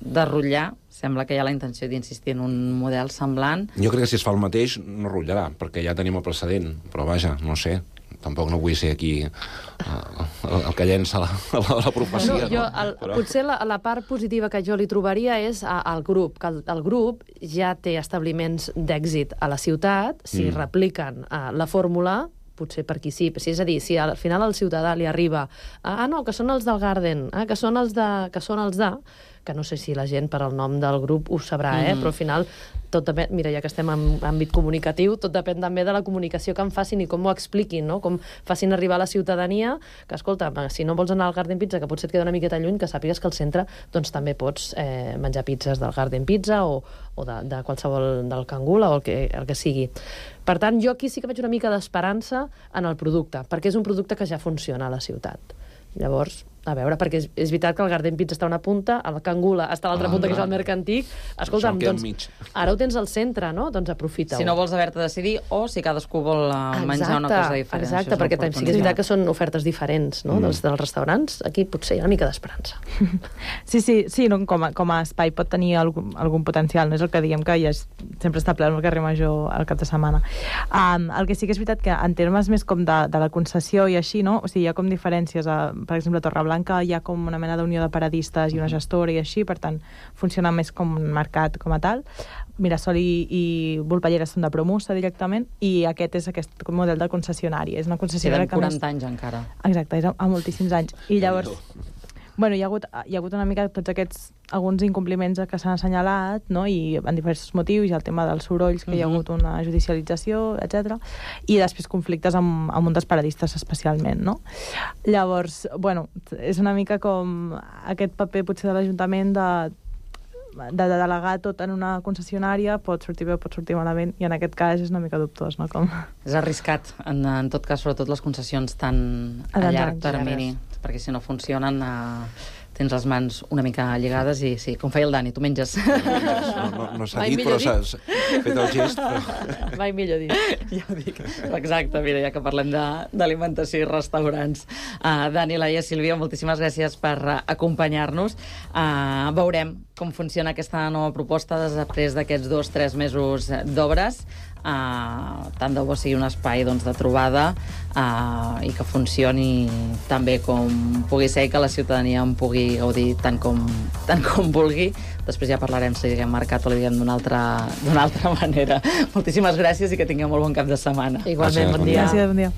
de rotllar. Sembla que hi ha la intenció d'insistir en un model semblant. Jo crec que si es fa el mateix no rotllarà, perquè ja tenim el precedent. Però vaja, no sé. Tampoc no vull ser aquí uh, el, el que llença la, la, la profecia. No, jo, el, Però... Potser la, la part positiva que jo li trobaria és al grup, que el, el grup ja té establiments d'èxit a la ciutat, si mm. repliquen uh, la fórmula, potser per aquí sí. sí. És a dir, si al final al ciutadà li arriba ah, no, que són els del Garden, ah, que són els de... Que són els de que no sé si la gent per al nom del grup ho sabrà, eh? Mm. Però al final tot depèn, mira, ja que estem en àmbit comunicatiu, tot depèn també de la comunicació que en facin i com ho expliquin, no? Com facin arribar a la ciutadania que, escolta, si no vols anar al Garden Pizza, que potser et queda una miqueta lluny, que sàpigues que al centre doncs també pots eh, menjar pizzas del Garden Pizza o, o de, de qualsevol del Cangula o el que, el que sigui. Per tant, jo aquí sí que veig una mica d'esperança en el producte, perquè és un producte que ja funciona a la ciutat. Llavors, a veure, perquè és, és veritat que el Garden Pizza està a una punta, el Cangula està a l'altra punta, que és el Mercantic. Escolta'm, doncs, ara ho tens al centre, no? Doncs aprofita-ho. Si no vols haver-te de decidir, o si cadascú vol uh, menjar una cosa diferent. Exacte, perquè sí que és veritat que són ofertes diferents, no? Mm. Dels, dels restaurants. Aquí potser hi ha una mica d'esperança. Sí, sí, sí, no, com, a, com a espai pot tenir algun, algun potencial, no és el que diem que ja és, sempre està ple al carrer Major al cap de setmana. Um, el que sí que és veritat que en termes més com de, de la concessió i així, no? O sigui, hi ha com diferències, a, per exemple, a Torreblanca hi ha com una mena d'unió de paradistes i una gestora i així, per tant, funciona més com un mercat com a tal. Mirasol i, i Volpellera són de Promusa directament, i aquest és aquest model de concessionari. És una concessionària que més... quaranta anys encara. Exacte, és a, a moltíssims anys. I llavors... Bueno, hi ha hagut, hi ha hagut una mica tots aquests, alguns incompliments que s'han assenyalat, no? I en diversos motius, i el tema dels sorolls, que uh-huh. hi ha hagut una judicialització, etcètera. I després conflictes amb, amb un dels paradistes especialment, no? Llavors, bueno, és una mica com aquest paper potser de l'Ajuntament de, de, de delegar tot en una concessionària, pot sortir bé, pot sortir malament, i en aquest cas és una mica dubtós, no? Com... És arriscat, en, en tot cas, sobretot les concessions tan a, a llarg termini, perquè si no funcionen eh, tens les mans una mica lligades i sí, com feia el Dani, tu menges. No, no, no s'ha dit, però s'ha fet el gest. Però... Mai millor dit. Ja ho dic. Exacte, mira, ja que parlem d'alimentació i restaurants. Uh, Dani, Laia, Sílvia, moltíssimes gràcies per uh, acompanyar-nos. Uh, veurem com funciona aquesta nova proposta després d'aquests dos, tres mesos d'obres. Uh, tant de bo sigui un espai doncs, de trobada uh, i que funcioni tan bé com pugui ser i que la ciutadania en pugui gaudir tant com, tant com vulgui. Després ja parlarem si diguem mercat o li diguem d'una altra, d'una altra manera. Moltíssimes gràcies i que tingueu molt bon cap de setmana. Igualment, bon dia. Gràcies, bon dia.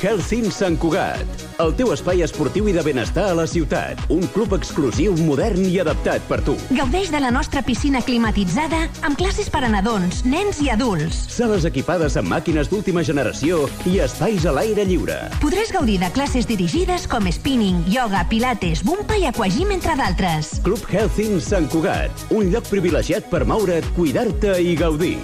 Healthin Sant Cugat, el teu espai esportiu i de benestar a la ciutat. Un club exclusiu, modern i adaptat per tu. Gaudeix de la nostra piscina climatitzada amb classes per a nadons, nens i adults. Sales equipades amb màquines d'última generació i espais a l'aire lliure. Podràs gaudir de classes dirigides com spinning, yoga, pilates, bumpa i aquagym, entre d'altres. Club Healthin Sant Cugat, un lloc privilegiat per moure't, cuidar-te i gaudir.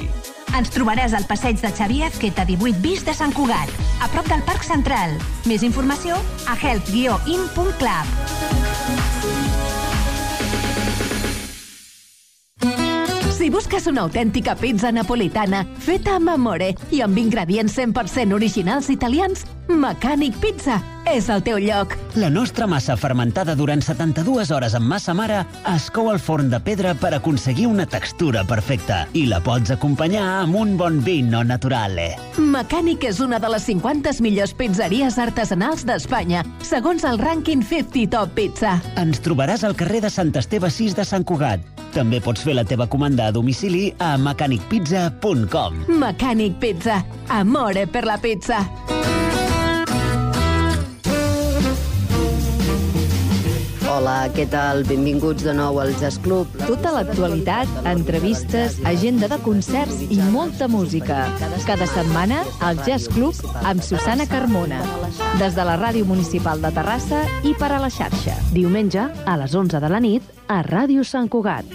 Ens trobaràs al passeig de Xavier Azqueta divuit bis de Sant Cugat, a prop del Parc Central. Més informació a health guió in punt club. Si busques una autèntica pizza napolitana feta amb amore i amb ingredients cent per cent originals italians, Mecànic Pizza és el teu lloc. La nostra massa fermentada durant setanta-dues hores amb massa mare es cou al forn de pedra per aconseguir una textura perfecta i la pots acompanyar amb un bon vino naturale. Mecànic és una de les cinquanta millors pizzeries artesanals d'Espanya, segons el rànquing cinquanta Top Pizza. Ens trobaràs al carrer de Sant Esteve sis de Sant Cugat. També pots fer la teva comanda a domicili a mecànic pizza punt com. Mecànic Pizza. Amore per la pizza. Hola, què tal? Benvinguts de nou al Jazz Club. Tota l'actualitat, entrevistes, agenda de concerts i molta música. Cada setmana, al Jazz Club amb Susana Carmona. Des de la Ràdio Municipal de Terrassa i per a la xarxa. Diumenge, a les onze de la nit, a Ràdio Sant Cugat.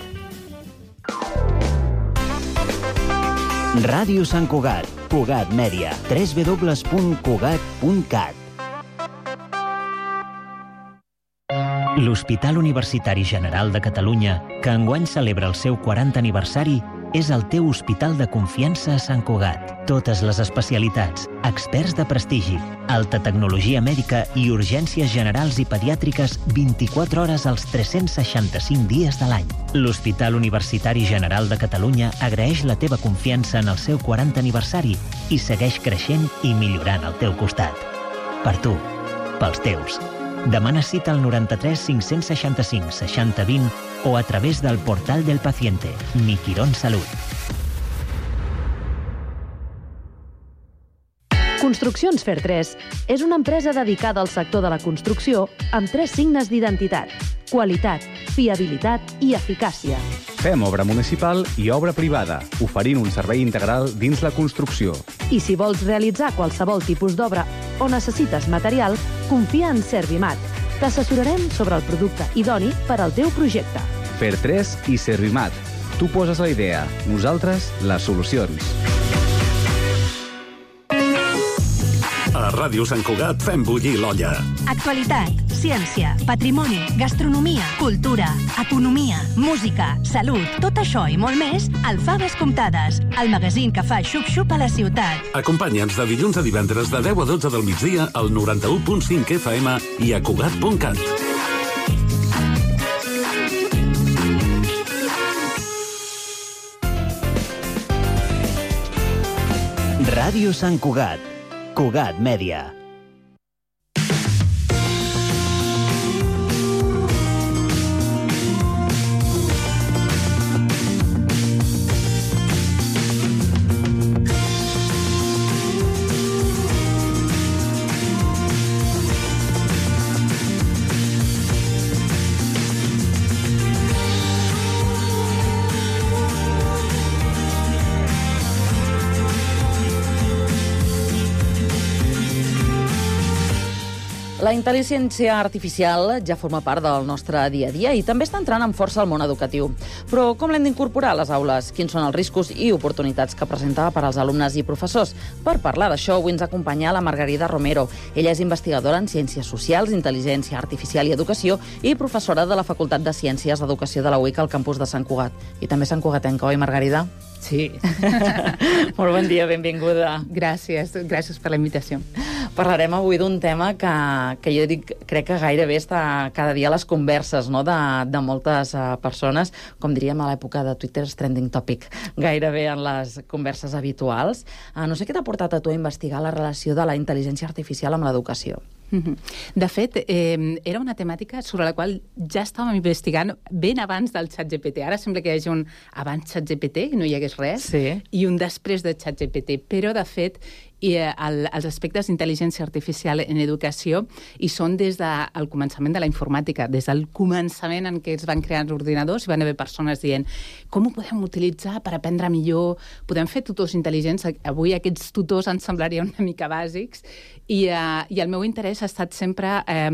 Ràdio Sant Cugat, Cugat Mèdia, w w w punt cugat punt cat. L'Hospital Universitari General de Catalunya, que enguany celebra el seu quaranta aniversari, és el teu hospital de confiança a Sant Cugat. Totes les especialitats, experts de prestigi, alta tecnologia mèdica i urgències generals i pediàtriques vint-i-quatre hores als tres-cents seixanta-cinc dies de l'any. L'Hospital Universitari General de Catalunya agraeix la teva confiança en el seu quaranta aniversari i segueix creixent i millorant al teu costat. Per tu, pels teus. Demana cita al noranta-tres cinc-cents seixanta-cinc seixanta vint o a través del portal del paciente, Mi Quirón Salut. Construccions Fer tres és una empresa dedicada al sector de la construcció amb tres signes d'identitat: qualitat, fiabilitat i eficàcia. Fem obra municipal i obra privada, oferint un servei integral dins la construcció. I si vols realitzar qualsevol tipus d'obra o necessites material, confia en Servimat. T'assessorarem sobre el producte idoni per al teu projecte. Fer tres i Servimat. Tu poses la idea, nosaltres les solucions. A Ràdio Sant Cugat fem bullir l'olla. Actualitat, ciència, patrimoni, gastronomia, cultura, economia, música, salut, tot això i molt més al Faves Comptades, el magazín que fa xup-xup a la ciutat. Acompanya'ns de dilluns a divendres de deu a dotze del migdia al noranta-u punt cinc F M i a Cugat punt cat. Ràdio Sant Cugat. Cugat Mèdia. La intel·ligència artificial ja forma part del nostre dia a dia i també està entrant amb força al món educatiu. Però com l'hem d'incorporar a les aules? Quins són els riscos i oportunitats que presenta per als alumnes i professors? Per parlar d'això, avui ens acompanya la Margarida Romero. Ella és investigadora en Ciències Socials, Intel·ligència Artificial i Educació i professora de la Facultat de Ciències d'Educació de la U I C al campus de Sant Cugat. I també Sant Cugatenca, oi, Margarida? Sí. Molt bon dia, benvinguda. Gràcies, gràcies per la invitació. Parlarem avui d'un tema que, que jo dic, crec que gairebé està cada dia a les converses, no?, de, de moltes uh, persones, com diríem a l'època de Twitter, trending topic, gairebé en les converses habituals. Uh, no sé què t'ha portat a tu a investigar la relació de la intel·ligència artificial amb l'educació. De fet, eh, era una temàtica sobre la qual ja estàvem investigant ben abans del ChatGPT. Ara sembla que hi hagi un abans ChatGPT i no hi hagués res, sí, i un després de ChatGPT, però de fet i el, els aspectes d'intel·ligència artificial en educació hi són des del començament de la informàtica, des del començament en què es van crear els ordinadors i van haver persones dient com ho podem utilitzar per aprendre millor, podem fer tutors intel·ligents. Avui aquests tutors ens semblarien una mica bàsics i, uh, i el meu interès ha estat sempre eh,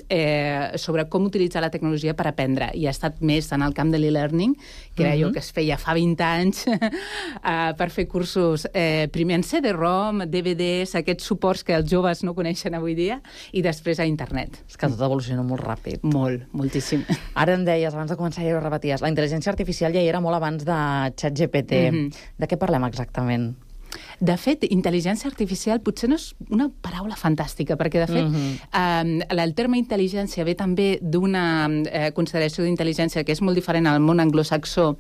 eh, sobre com utilitzar la tecnologia per aprendre, i ha estat més en el camp de l'e-learning, que era uh-huh. allò que es feia fa vint anys uh, per fer cursos eh, primer en C D ROM, D V Ds, aquests suports que els joves no coneixen avui dia, i després a internet. És que tot evoluciona molt ràpid. Molt, moltíssim. Ara em deies, abans de començar ja ho repeties, la intel·ligència artificial ja hi era molt abans de ChatGPT. Mm-hmm. De què parlem exactament? De fet, intel·ligència artificial potser no és una paraula fantàstica, perquè, de fet, mm-hmm. eh, el terme intel·ligència ve també d'una eh, consideració d'intel·ligència que és molt diferent al món anglosaxó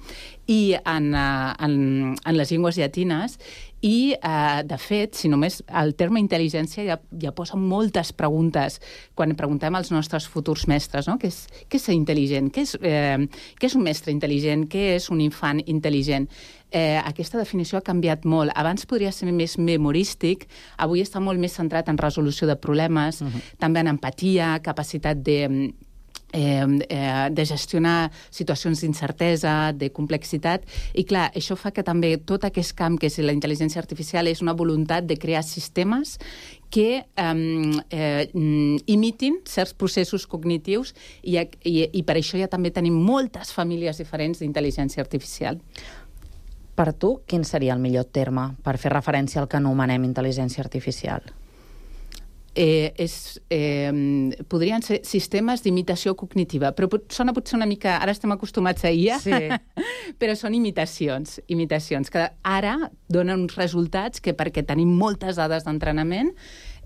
i en, uh, en, en les llengües llatines, i, eh, de fet, si només el terme intel·ligència ja, ja posa moltes preguntes quan preguntem als nostres futurs mestres, no? Què és, què és ser intel·ligent? Què és, eh, què és un mestre intel·ligent? Què és un infant intel·ligent? Eh, aquesta definició ha canviat molt. Abans podria ser més memorístic, avui està molt més centrat en resolució de problemes, uh-huh. també en empatia, capacitat de... Eh, eh, de gestionar situacions d'incertesa, de complexitat, i clar, això fa que també tot aquest camp que és la intel·ligència artificial és una voluntat de crear sistemes que eh, eh, imitin certs processos cognitius, i, i, i per això ja també tenim moltes famílies diferents d'intel·ligència artificial. Per tu, quin seria el millor terme per fer referència al que anomenem intel·ligència artificial? Eh, és, eh, podrien ser sistemes d'imitació cognitiva, però pot, sona potser una mica... Ara estem acostumats a I A, sí. però són imitacions, imitacions, que ara donen uns resultats que, perquè tenim moltes dades d'entrenament,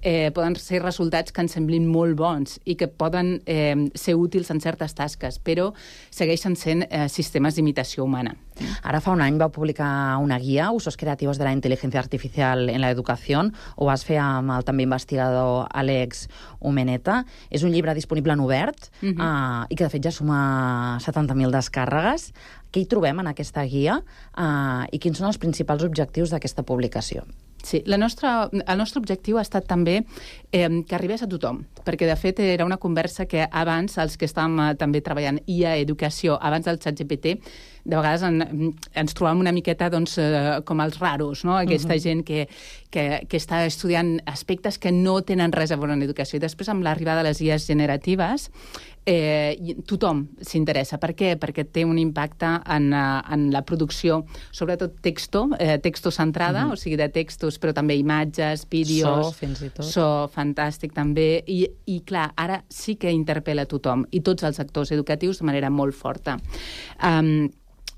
eh, poden ser resultats que ens semblin molt bons i que poden eh, ser útils en certes tasques, però segueixen sent eh, sistemes d'imitació humana. Ara fa un any vau publicar una guia, Usos creativos de la inteligencia artificial en la educación, ho vas fer amb el també investigador Àlex Umeneta. És un llibre disponible en obert uh-huh. uh, i que de fet ja suma setanta mil descàrregues. Què hi trobem en aquesta guia uh, i quins són els principals objectius d'aquesta publicació? Sí, la nostra, el nostre objectiu ha estat també eh, que arribés a tothom, perquè de fet era una conversa que abans, els que estàvem eh, també treballant I A Educació, abans del ChatGPT, de vegades en, ens trobàvem una miqueta doncs, eh, com els raros, no? Aquesta uh-huh. gent que, que, que està estudiant aspectes que no tenen res a veure en educació. I després, amb l'arribada de les I As generatives, eh, tothom s'interessa. Per què? Perquè té un impacte en, en la producció, sobretot texto, eh, texto centrada, uh-huh. o sigui, de textos, però també imatges, vídeos... So, fins i tot. So, fantàstic, també. I, i clar, ara sí que interpel·la tothom, i tots els actors educatius de manera molt forta. Um,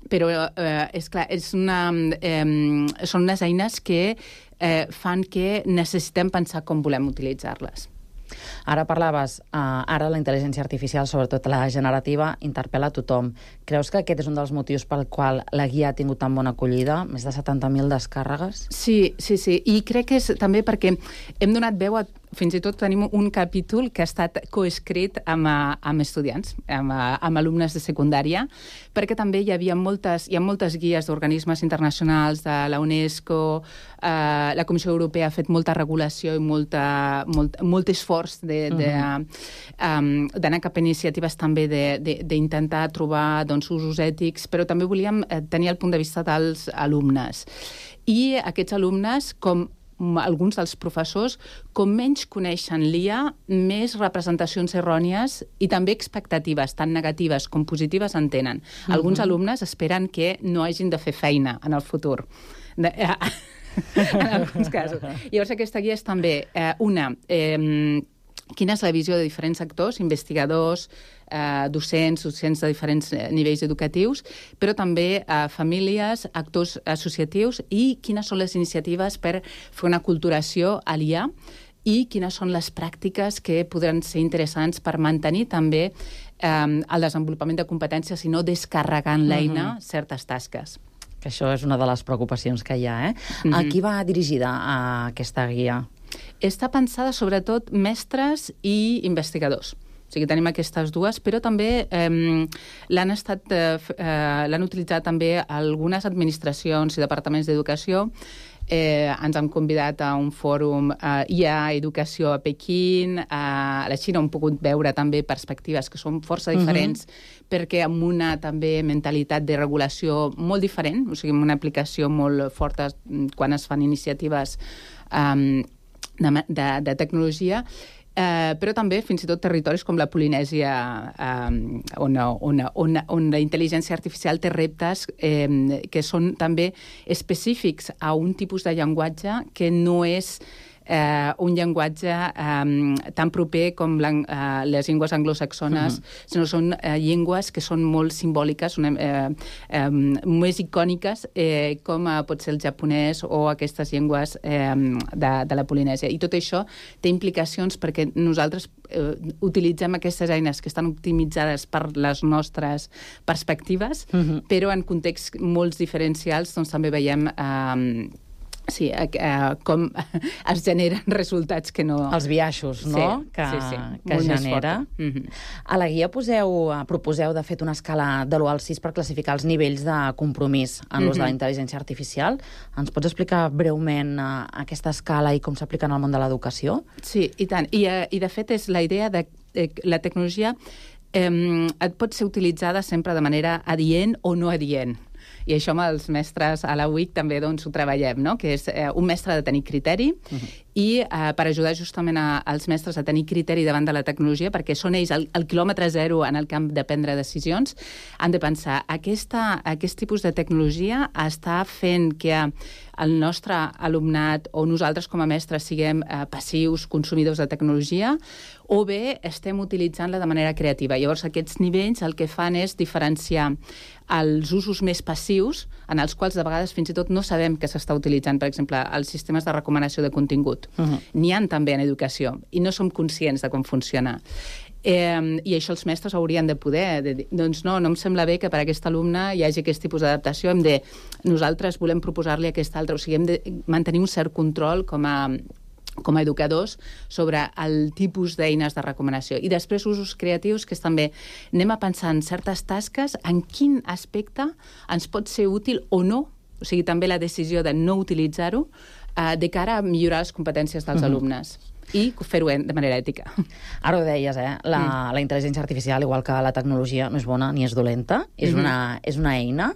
però, eh, és clar, és una, eh, són unes eines que eh, fan que necessitem pensar com volem utilitzar-les. Ara parlaves, uh, ara la intel·ligència artificial, sobretot la generativa, interpel·la a tothom. Creus que aquest és un dels motius pel qual la guia ha tingut tan bona acollida? Més de setanta mil descàrregues? Sí, sí, sí. I crec que és també perquè hem donat veu a... Fins i tot tenim un capítol que ha estat coescrit amb, amb estudiants, amb, amb alumnes de secundària, perquè també hi havia moltes, hi ha moltes guies d'organismes internacionals, de la UNESCO, eh, la Comissió Europea ha fet molta regulació i molta, molt, molt esforç de, de, uh-huh. um, d'anar cap a iniciatives també d'intentar trobar doncs, usos ètics, però també volíem tenir el punt de vista dels alumnes. I aquests alumnes, com alguns dels professors, com menys coneixen l'I A, més representacions errònies i també expectatives, tant negatives com positives, en tenen. Uh-huh. Alguns alumnes esperen que no hagin de fer feina en el futur. De, en alguns casos. Llavors, aquesta guia és també eh, una... Eh, quina és la visió de diferents actors, investigadors, eh, docents, docents de diferents nivells educatius, però també eh, famílies, actors associatius i quines són les iniciatives per fer una aculturació a l'I A i quines són les pràctiques que podran ser interessants per mantenir també eh, el desenvolupament de competències i no descarregant l'eina uh-huh. certes tasques. Que això és una de les preocupacions que hi ha, eh? Uh-huh. A qui va dirigida a aquesta guia? Està pensada sobretot mestres i investigadors. O sigui, tenim aquestes dues, però també eh, l'han estat, eh, l'han utilitzat també algunes administracions i departaments d'educació. Eh, ens han convidat a un fòrum eh, I A Educació a Pequín, a la Xina hem pogut veure també perspectives que són força diferents, uh-huh. perquè amb una també mentalitat de regulació molt diferent, o sigui, amb una aplicació molt forta quan es fan iniciatives eh, de, de, de tecnologia, eh, però també fins i tot territoris com la Polinèsia, eh, on, on, on, on la intel·ligència artificial té reptes eh, que són també específics a un tipus de llenguatge que no és eh, un llenguatge eh, tan proper com la, eh, les llengües anglosaxones, uh-huh. sinó són eh, llengües que són molt simbòliques, una, eh, eh, més icòniques, eh, com eh, pot ser el japonès o aquestes llengües eh, de, de la Polinèsia. I tot això té implicacions perquè nosaltres eh, utilitzem aquestes eines que estan optimitzades per les nostres perspectives, uh-huh. però en contexts molt diferencials doncs, també veiem... Eh, Sí, eh, com es generen resultats que no... Els biaixos, no? Sí, que, sí, sí. que genera. Mm-hmm. A la guia poseu, proposeu, de fet, una escala de l'u al sis per classificar els nivells de compromís en l'ús mm-hmm. de la intel·ligència artificial. Ens pots explicar breument uh, aquesta escala i com s'aplica en el món de l'educació? Sí, i tant. I, uh, i de fet, és la idea de eh, la tecnologia eh, et pot ser utilitzada sempre de manera adient o no adient. I això amb els mestres a la U I C també doncs, ho treballem, no? Que és eh, un mestre ha de tenir criteri uh-huh. i eh, per ajudar justament a, als mestres a tenir criteri davant de la tecnologia, perquè són ells el, el quilòmetre zero en el camp de prendre decisions, han de pensar, aquesta, aquest tipus de tecnologia està fent que el nostre alumnat o nosaltres com a mestres siguem eh, passius, consumidors de tecnologia, o bé estem utilitzant-la de manera creativa. Llavors, aquests nivells el que fan és diferenciar els usos més passius, en els quals de vegades fins i tot no sabem que s'està utilitzant, per exemple, els sistemes de recomanació de contingut. Uh-huh. N'hi ha també en educació, i no som conscients de com funciona. Eh, I això els mestres haurien de poder de dir, doncs no, no em sembla bé que per aquest alumne hi hagi aquest tipus d'adaptació, hem de, nosaltres volem proposar-li aquest altre, o sigui, hem de mantenir un cert control com a com a educadors, sobre el tipus d'eines de recomanació. I després usos creatius, que és també anem a pensar en certes tasques, en quin aspecte ens pot ser útil o no, o sigui, també la decisió de no utilitzar-ho, eh, de cara a millorar les competències dels uh-huh. alumnes. I fer-ho de manera ètica. Ara ho deies, eh? La, mm. la intel·ligència artificial, igual que la tecnologia, no és bona ni és dolenta, és, mm-hmm. una, és una eina.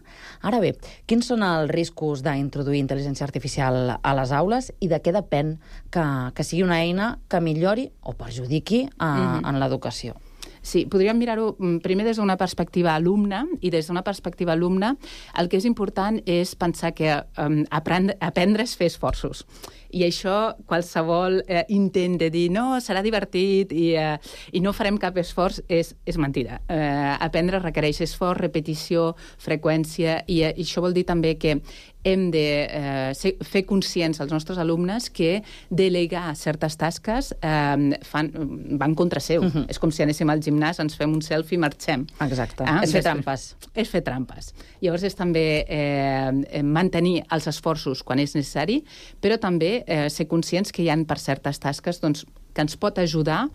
Ara bé, quins són els riscos d'introduir intel·ligència artificial a les aules i de què depèn que, que sigui una eina que millori o perjudiqui a, mm-hmm. en l'educació? Sí, podríem mirar-ho primer des d'una perspectiva alumna, i des d'una perspectiva alumna el que és important és pensar que um, aprendre, aprendre és fer esforços. I això, qualsevol eh, intent de dir no, serà divertit i, eh, i no farem cap esforç, és, és mentida. Eh, aprendre requereix esforç, repetició, freqüència, i, eh, i això vol dir també que hem de eh, ser, fer conscients als nostres alumnes que delegar certes tasques eh, fan, van contra seu. Uh-huh. És com si anéssim al gimnàs, ens fem un selfie i marxem. Exacte. Ah, és fer trampes. És fer trampes. Llavors és també eh, mantenir els esforços quan és necessari, però també eh, ser conscients que hi ha per certes tasques doncs, que ens pot ajudar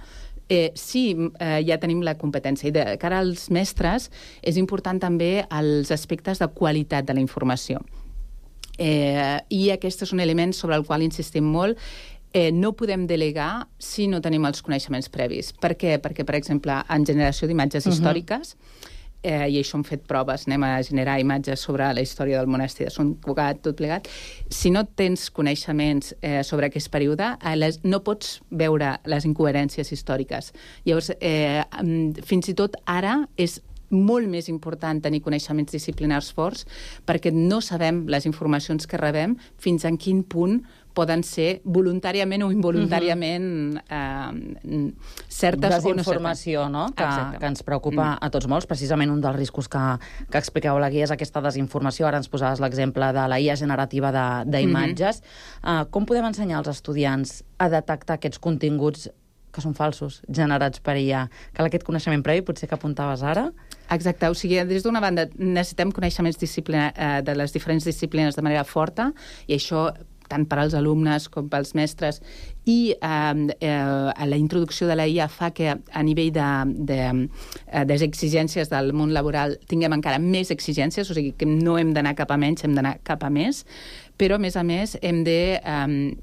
Eh, sí, eh, ja tenim la competència. I de cara als mestres és important també els aspectes de qualitat de la informació. Eh, I aquest és un element sobre el qual insistim molt. Eh, no podem delegar si no tenim els coneixements previs. Per què? Perquè, per exemple, en generació d'imatges uh-huh. històriques, eh, i això hem fet proves, anem a generar imatges sobre la història del monestir de Sant Cugat, tot plegat. Si no tens coneixements eh, sobre aquest període, eh, les, no pots veure les incoherències històriques. Llavors, eh, fins i tot ara és molt més important tenir coneixements disciplinars forts perquè no sabem les informacions que rebem fins en quin punt poden ser voluntàriament o involuntàriament eh, certes desinformació, o no? Que, que ens preocupa mm. a tots molts. Precisament un dels riscos que, que expliqueu a la guia és aquesta desinformació. Ara ens posaves l'exemple de la I A generativa d'imatges. Mm-hmm. Uh, com podem ensenyar als estudiants a detectar aquests continguts que són falsos, generats per I A? Cal aquest coneixement previ, potser que apuntaves ara? Exacte, o sigui, des d'una banda necessitem coneixements disciplina, eh, de les diferents disciplines de manera forta, i això tant per als alumnes com pels mestres, i eh, eh, la introducció de la I A fa que a nivell de, de, de, de exigències del món laboral tinguem encara més exigències, o sigui que no hem d'anar cap a menys, hem d'anar cap a més, però a més a més hem de eh,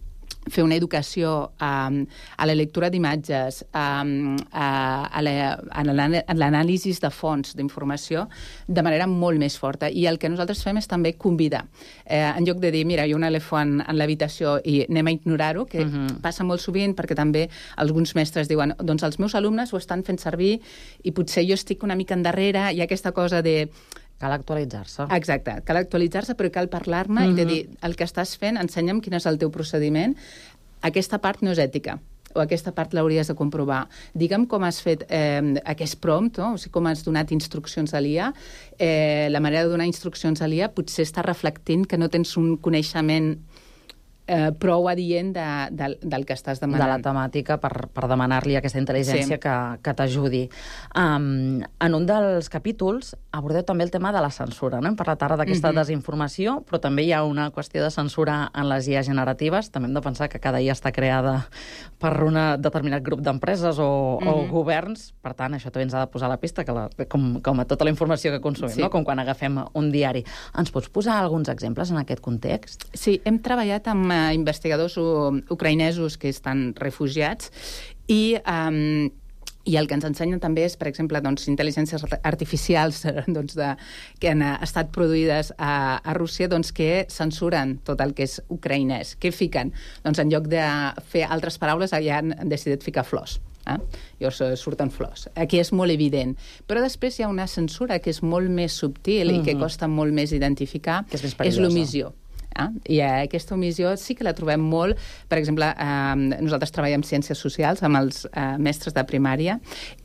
fer una educació um, a la lectura d'imatges, um, a, a l'anàlisi de fonts d'informació de manera molt més forta. I el que nosaltres fem és també convidar. Eh, en lloc de dir, mira, hi ha un elefant en l'habitació i anem a ignorar-ho, que uh-huh. passa molt sovint perquè també alguns mestres diuen, doncs els meus alumnes ho estan fent servir i potser jo estic una mica endarrere, i aquesta cosa de cal actualitzar-se. Exacte, cal actualitzar-se, però cal parlar-ne uh-huh. i de dir, el que estàs fent, ensenya'm quin és el teu procediment, aquesta part no és ètica, o aquesta part l'hauries de comprovar. Digue'm com has fet eh, aquest prompt, no? O sigui, com has donat instruccions a l'I A. Eh, la manera de donar instruccions a l'I A potser està reflectint que no tens un coneixement Eh, prou adient de, de, del que estàs demanant. De la temàtica per, per demanar-li aquesta intel·ligència sí. que, que t'ajudi. Um, en un dels capítols abordeu també el tema de la censura. No? Hem parlat ara d'aquesta mm-hmm. desinformació, però també hi ha una qüestió de censura en les I A generatives. També hem de pensar que cada I A està creada per un determinat grup d'empreses o, mm-hmm. o governs. Per tant, això també ens ha de posar a la pista, que la, com, com a tota la informació que consumim, sí. no? Com quan agafem un diari. Ens pots posar alguns exemples en aquest context? Sí, hem treballat amb investigadors ucraïnesos que estan refugiats i, um, i el que ens ensenyen també és, per exemple, doncs, intel·ligències artificials doncs, de, que han estat produïdes a, a Rússia doncs, que censuren tot el que és ucraïnès. Què fiquen? Doncs en lloc de fer altres paraules ja han decidit ficar flors. Eh? Llavors uh, surten flors. Aquí és molt evident. Però després hi ha una censura que és molt més subtil mm-hmm. i que costa molt més identificar, que és, és l'omissió. Eh? I aquesta omissió sí que la trobem molt. Per exemple, eh, nosaltres treballem ciències socials amb els eh, mestres de primària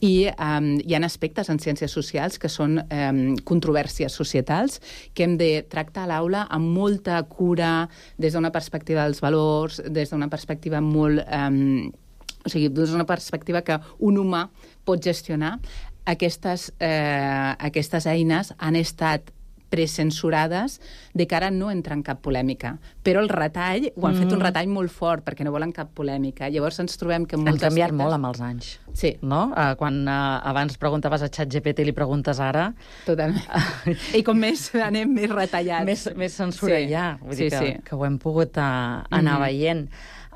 i eh, hi ha aspectes en ciències socials que són eh, controvèrsies societals que hem de tractar a l'aula amb molta cura, des d'una perspectiva dels valors, des d'una perspectiva molt... Eh, o sigui, des d'una perspectiva que un humà pot gestionar. Aquestes, eh, aquestes eines han estat precensurades de cara a no entrar en cap polèmica. Però el retall, ho han mm. fet un retall molt fort perquè no volen cap polèmica. Llavors ens trobem que molts han canviat aspectes... molt amb els anys. Sí. No? Uh, quan uh, abans preguntaves a ChatGPT i li preguntes ara... Totalment. I com més anem més retallats. Més, més censura sí. ja. Vull sí, dir que, sí. que ho hem pogut uh, anar mm-hmm. veient.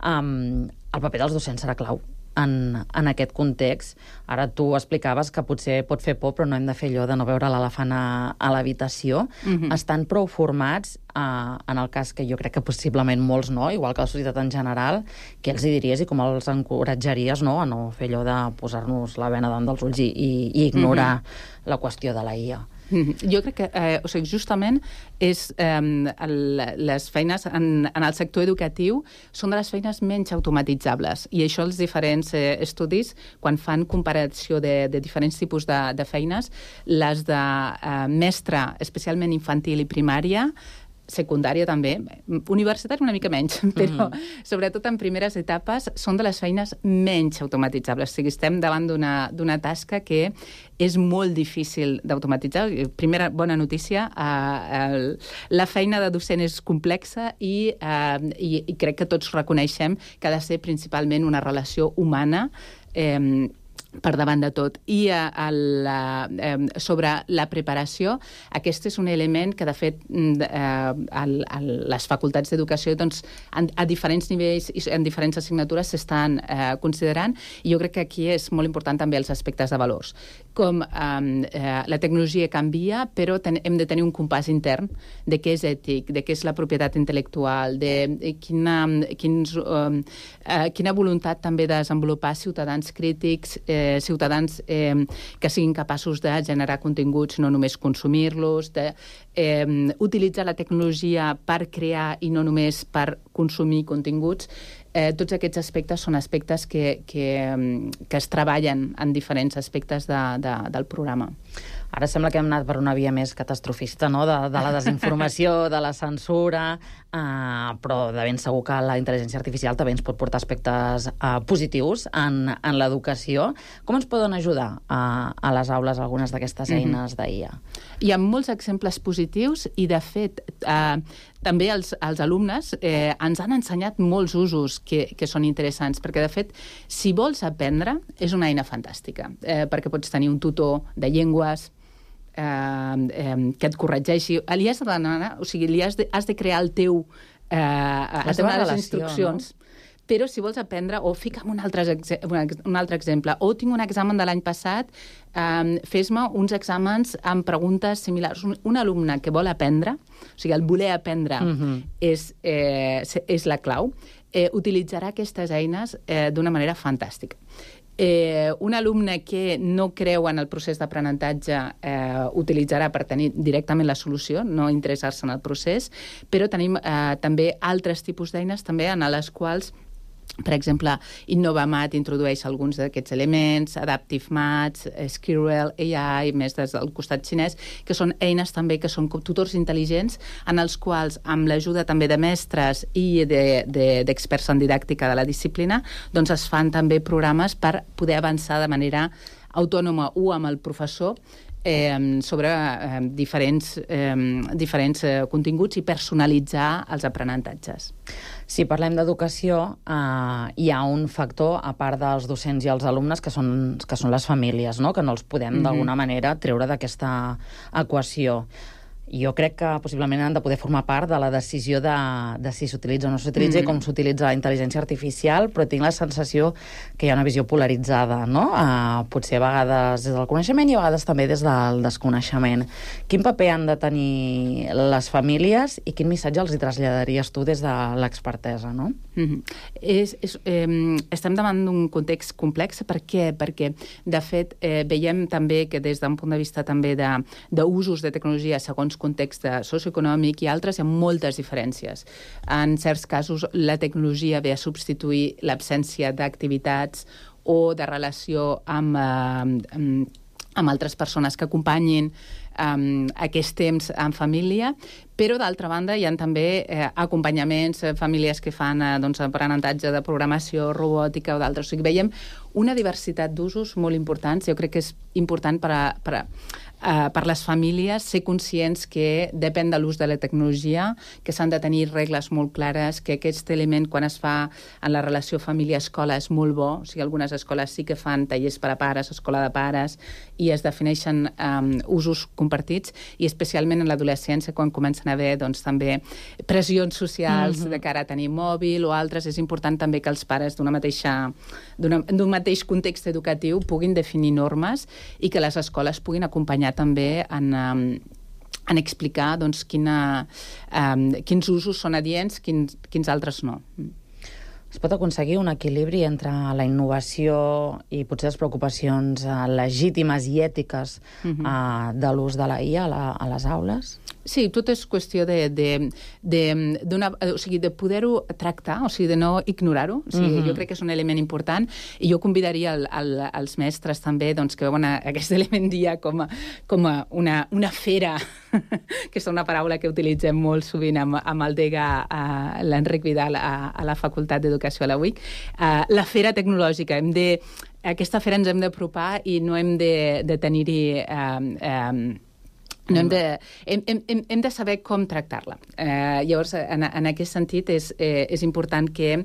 Um, el paper dels docents serà clau en, en aquest context. Ara tu explicaves que potser pot fer por, però no hem de fer allò de no veure l'elefant a, a l'habitació. Mm-hmm. Estan prou formats, eh, en el cas que jo crec que possiblement molts no, igual que la societat en general, què els hi diries i com els encoratjaries no, a no fer allò de posar-nos la bena davant dels ulls i, i, i ignorar mm-hmm. la qüestió de la I A? Jo crec que, eh, o sigui, justament és, eh, el, les feines en, en el sector educatiu són de les feines menys automatitzables, i això els diferents eh, estudis, quan fan comparació de, de diferents tipus de, de feines, les de eh, mestre, especialment infantil i primària, secundària també, universitària una mica menys, però mm. sobretot en primeres etapes són de les feines menys automatitzables. O sigui, estem davant d'una tasca que és molt difícil d'automatitzar. Primera bona notícia, eh, el, la feina de docent és complexa i, eh, i, i crec que tots reconeixem que ha de ser principalment una relació humana eh, per davant de tot. I a, a la, eh, sobre la preparació, aquest és un element que, de fet, eh, a, a les facultats d'educació doncs, a, a diferents nivells i en diferents assignatures s'estan eh, considerant, i jo crec que aquí és molt important també els aspectes de valors. Com eh, la tecnologia canvia, però ten, hem de tenir un compàs intern de què és ètic, de què és la propietat intel·lectual, de quina, quins, eh, quina voluntat també de desenvolupar ciutadans crítics, eh, ciutadans eh, que siguin capaços de generar continguts, no només consumir-los, de eh, utilitzar la tecnologia per crear i no només per consumir continguts. Eh, tots aquests aspectes són aspectes que, que, que es treballen en diferents aspectes de, de, del programa. Ara sembla que hem anat per una via més catastrofista, no?, de, de la desinformació, de la censura, eh, però de ben segur que la intel·ligència artificial també ens pot portar aspectes eh, positius en, en l'educació. Com ens poden ajudar a, a les aules algunes d'aquestes eines d'I A? Hi ha molts exemples positius i, de fet, eh, també els, els alumnes eh, ens han ensenyat molts usos que, que són interessants, perquè, de fet, si vols aprendre, és una eina fantàstica, eh, perquè pots tenir un tutor de llengües, Eh, eh, que et corregeixi. Li has de demanar, o sigui, li has de, has de crear el teu eh, has de donar les instruccions, no? Però si vols aprendre, o fica'm un altre, un altre exemple, o tinc un examen de l'any passat, eh, fes-me uns exàmens amb preguntes similars. Un, un alumne que vol aprendre, o sigui, el voler aprendre uh-huh. és, eh, és la clau, eh, utilitzarà aquestes eines eh, d'una manera fantàstica. Eh, un alumne que no creu en el procés d'aprenentatge eh, utilitzarà per tenir directament la solució, no interessar-se en el procés, però tenim eh, també altres tipus d'eines també en les quals, per exemple, InnovaMath introdueix alguns d'aquests elements, Adaptive Maths, Skirrel, A I, més des del costat xinès, que són eines també que són com tutors intel·ligents en els quals, amb l'ajuda també de mestres i d'experts de, de, en didàctica de la disciplina, doncs es fan també programes per poder avançar de manera autònoma o amb el professor eh, sobre eh, diferents, eh, diferents eh, continguts i personalitzar els aprenentatges. Si parlem d'educació, eh, hi ha un factor, a part dels docents i els alumnes, que són, que són les famílies, no?, que no els podem, mm-hmm. d'alguna manera, treure d'aquesta equació. Jo crec que possiblement han de poder formar part de la decisió de, de si s'utilitza o no s'utilitza mm. i com s'utilitza la intel·ligència artificial, però tinc la sensació que hi ha una visió polaritzada, no? Uh, potser a vegades des del coneixement i a vegades també des del desconeixement. Quin paper han de tenir les famílies i quin missatge els hi traslladaries tu des de l'expertesa, no? Mm-hmm. és, és, eh, estem davant d'un context complex. Per què? Perquè, de fet, eh, veiem també que des d'un punt de vista també d'usos de, de tecnologia segons context socioeconòmic i altres, hi ha moltes diferències. En certs casos, la tecnologia ve a substituir l'absència d'activitats o de relació amb, eh, amb, amb altres persones que acompanyin um, aquest temps en família, però d'altra banda hi ha també eh, acompanyaments, eh, famílies que fan eh, doncs, aprenentatge de programació, robòtica o d'altres. O sigui, veiem una diversitat d'usos molt importants. Jo crec que és important per a, per a Uh, per les famílies ser conscients que depèn de l'ús de la tecnologia, que s'han de tenir regles molt clares, que aquest element quan es fa en la relació família-escola és molt bo. O sigui, algunes escoles sí que fan tallers per a pares, escola de pares, i es defineixen um, usos compartits, i especialment en l'adolescència, quan comencen a haver doncs, també pressions socials mm-hmm. de cara a tenir mòbil o altres, és important també que els pares d'una mateixa, d'un mateix context educatiu puguin definir normes i que les escoles puguin acompanyar també en, en explicar doncs, quina, um, quins usos són adients, quins, quins altres no. Es pot aconseguir un equilibri entre la innovació i potser les preocupacions uh, legítimes i ètiques uh, de l'ús de la I A a, la, a les aules? Sí, tot és qüestió de, de, de, d'una, o sigui, de poder-ho tractar, o sigui, de no ignorar-ho. O sigui, mm-hmm. Jo crec que és un element important i jo convidaria el, el, els mestres també doncs, que veuen aquest element dia com a, com a una, una fera, que és una paraula que utilitzem molt sovint amb, amb el degà l'Enric Vidal a, a la Facultat d'Educació a la U I C. Uh, la fera tecnològica. Hem de, aquesta fera ens hem d'apropar i no hem de, de tenir-hi... Uh, um, No hem, de, hem, hem, hem de saber com tractar-la. Eh, llavors, en, en aquest sentit, és, eh, és important que eh,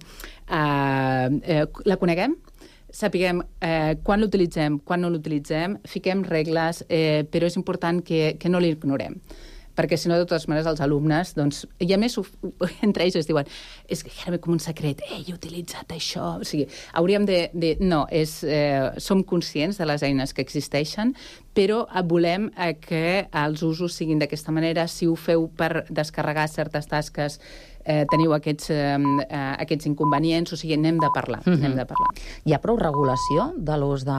eh, la coneguem, sapiguem eh, quan l'utilitzem, quan no l'utilitzem, fiquem regles, eh, però és important que, que no l'ignorem. Perquè, si no, de totes maneres, els alumnes, doncs, i a més, entre ells es diuen, és que era com un secret, eh, he utilitzat això. O sigui, hauríem de... de no, és, eh, som conscients de les eines que existeixen, però volem eh, que els usos siguin d'aquesta manera. Si ho feu per descarregar certes tasques, eh, teniu aquests, eh, aquests inconvenients, o sigui, n'hem de parlar, mm-hmm. n'hem de parlar. Hi ha prou regulació de l'ús de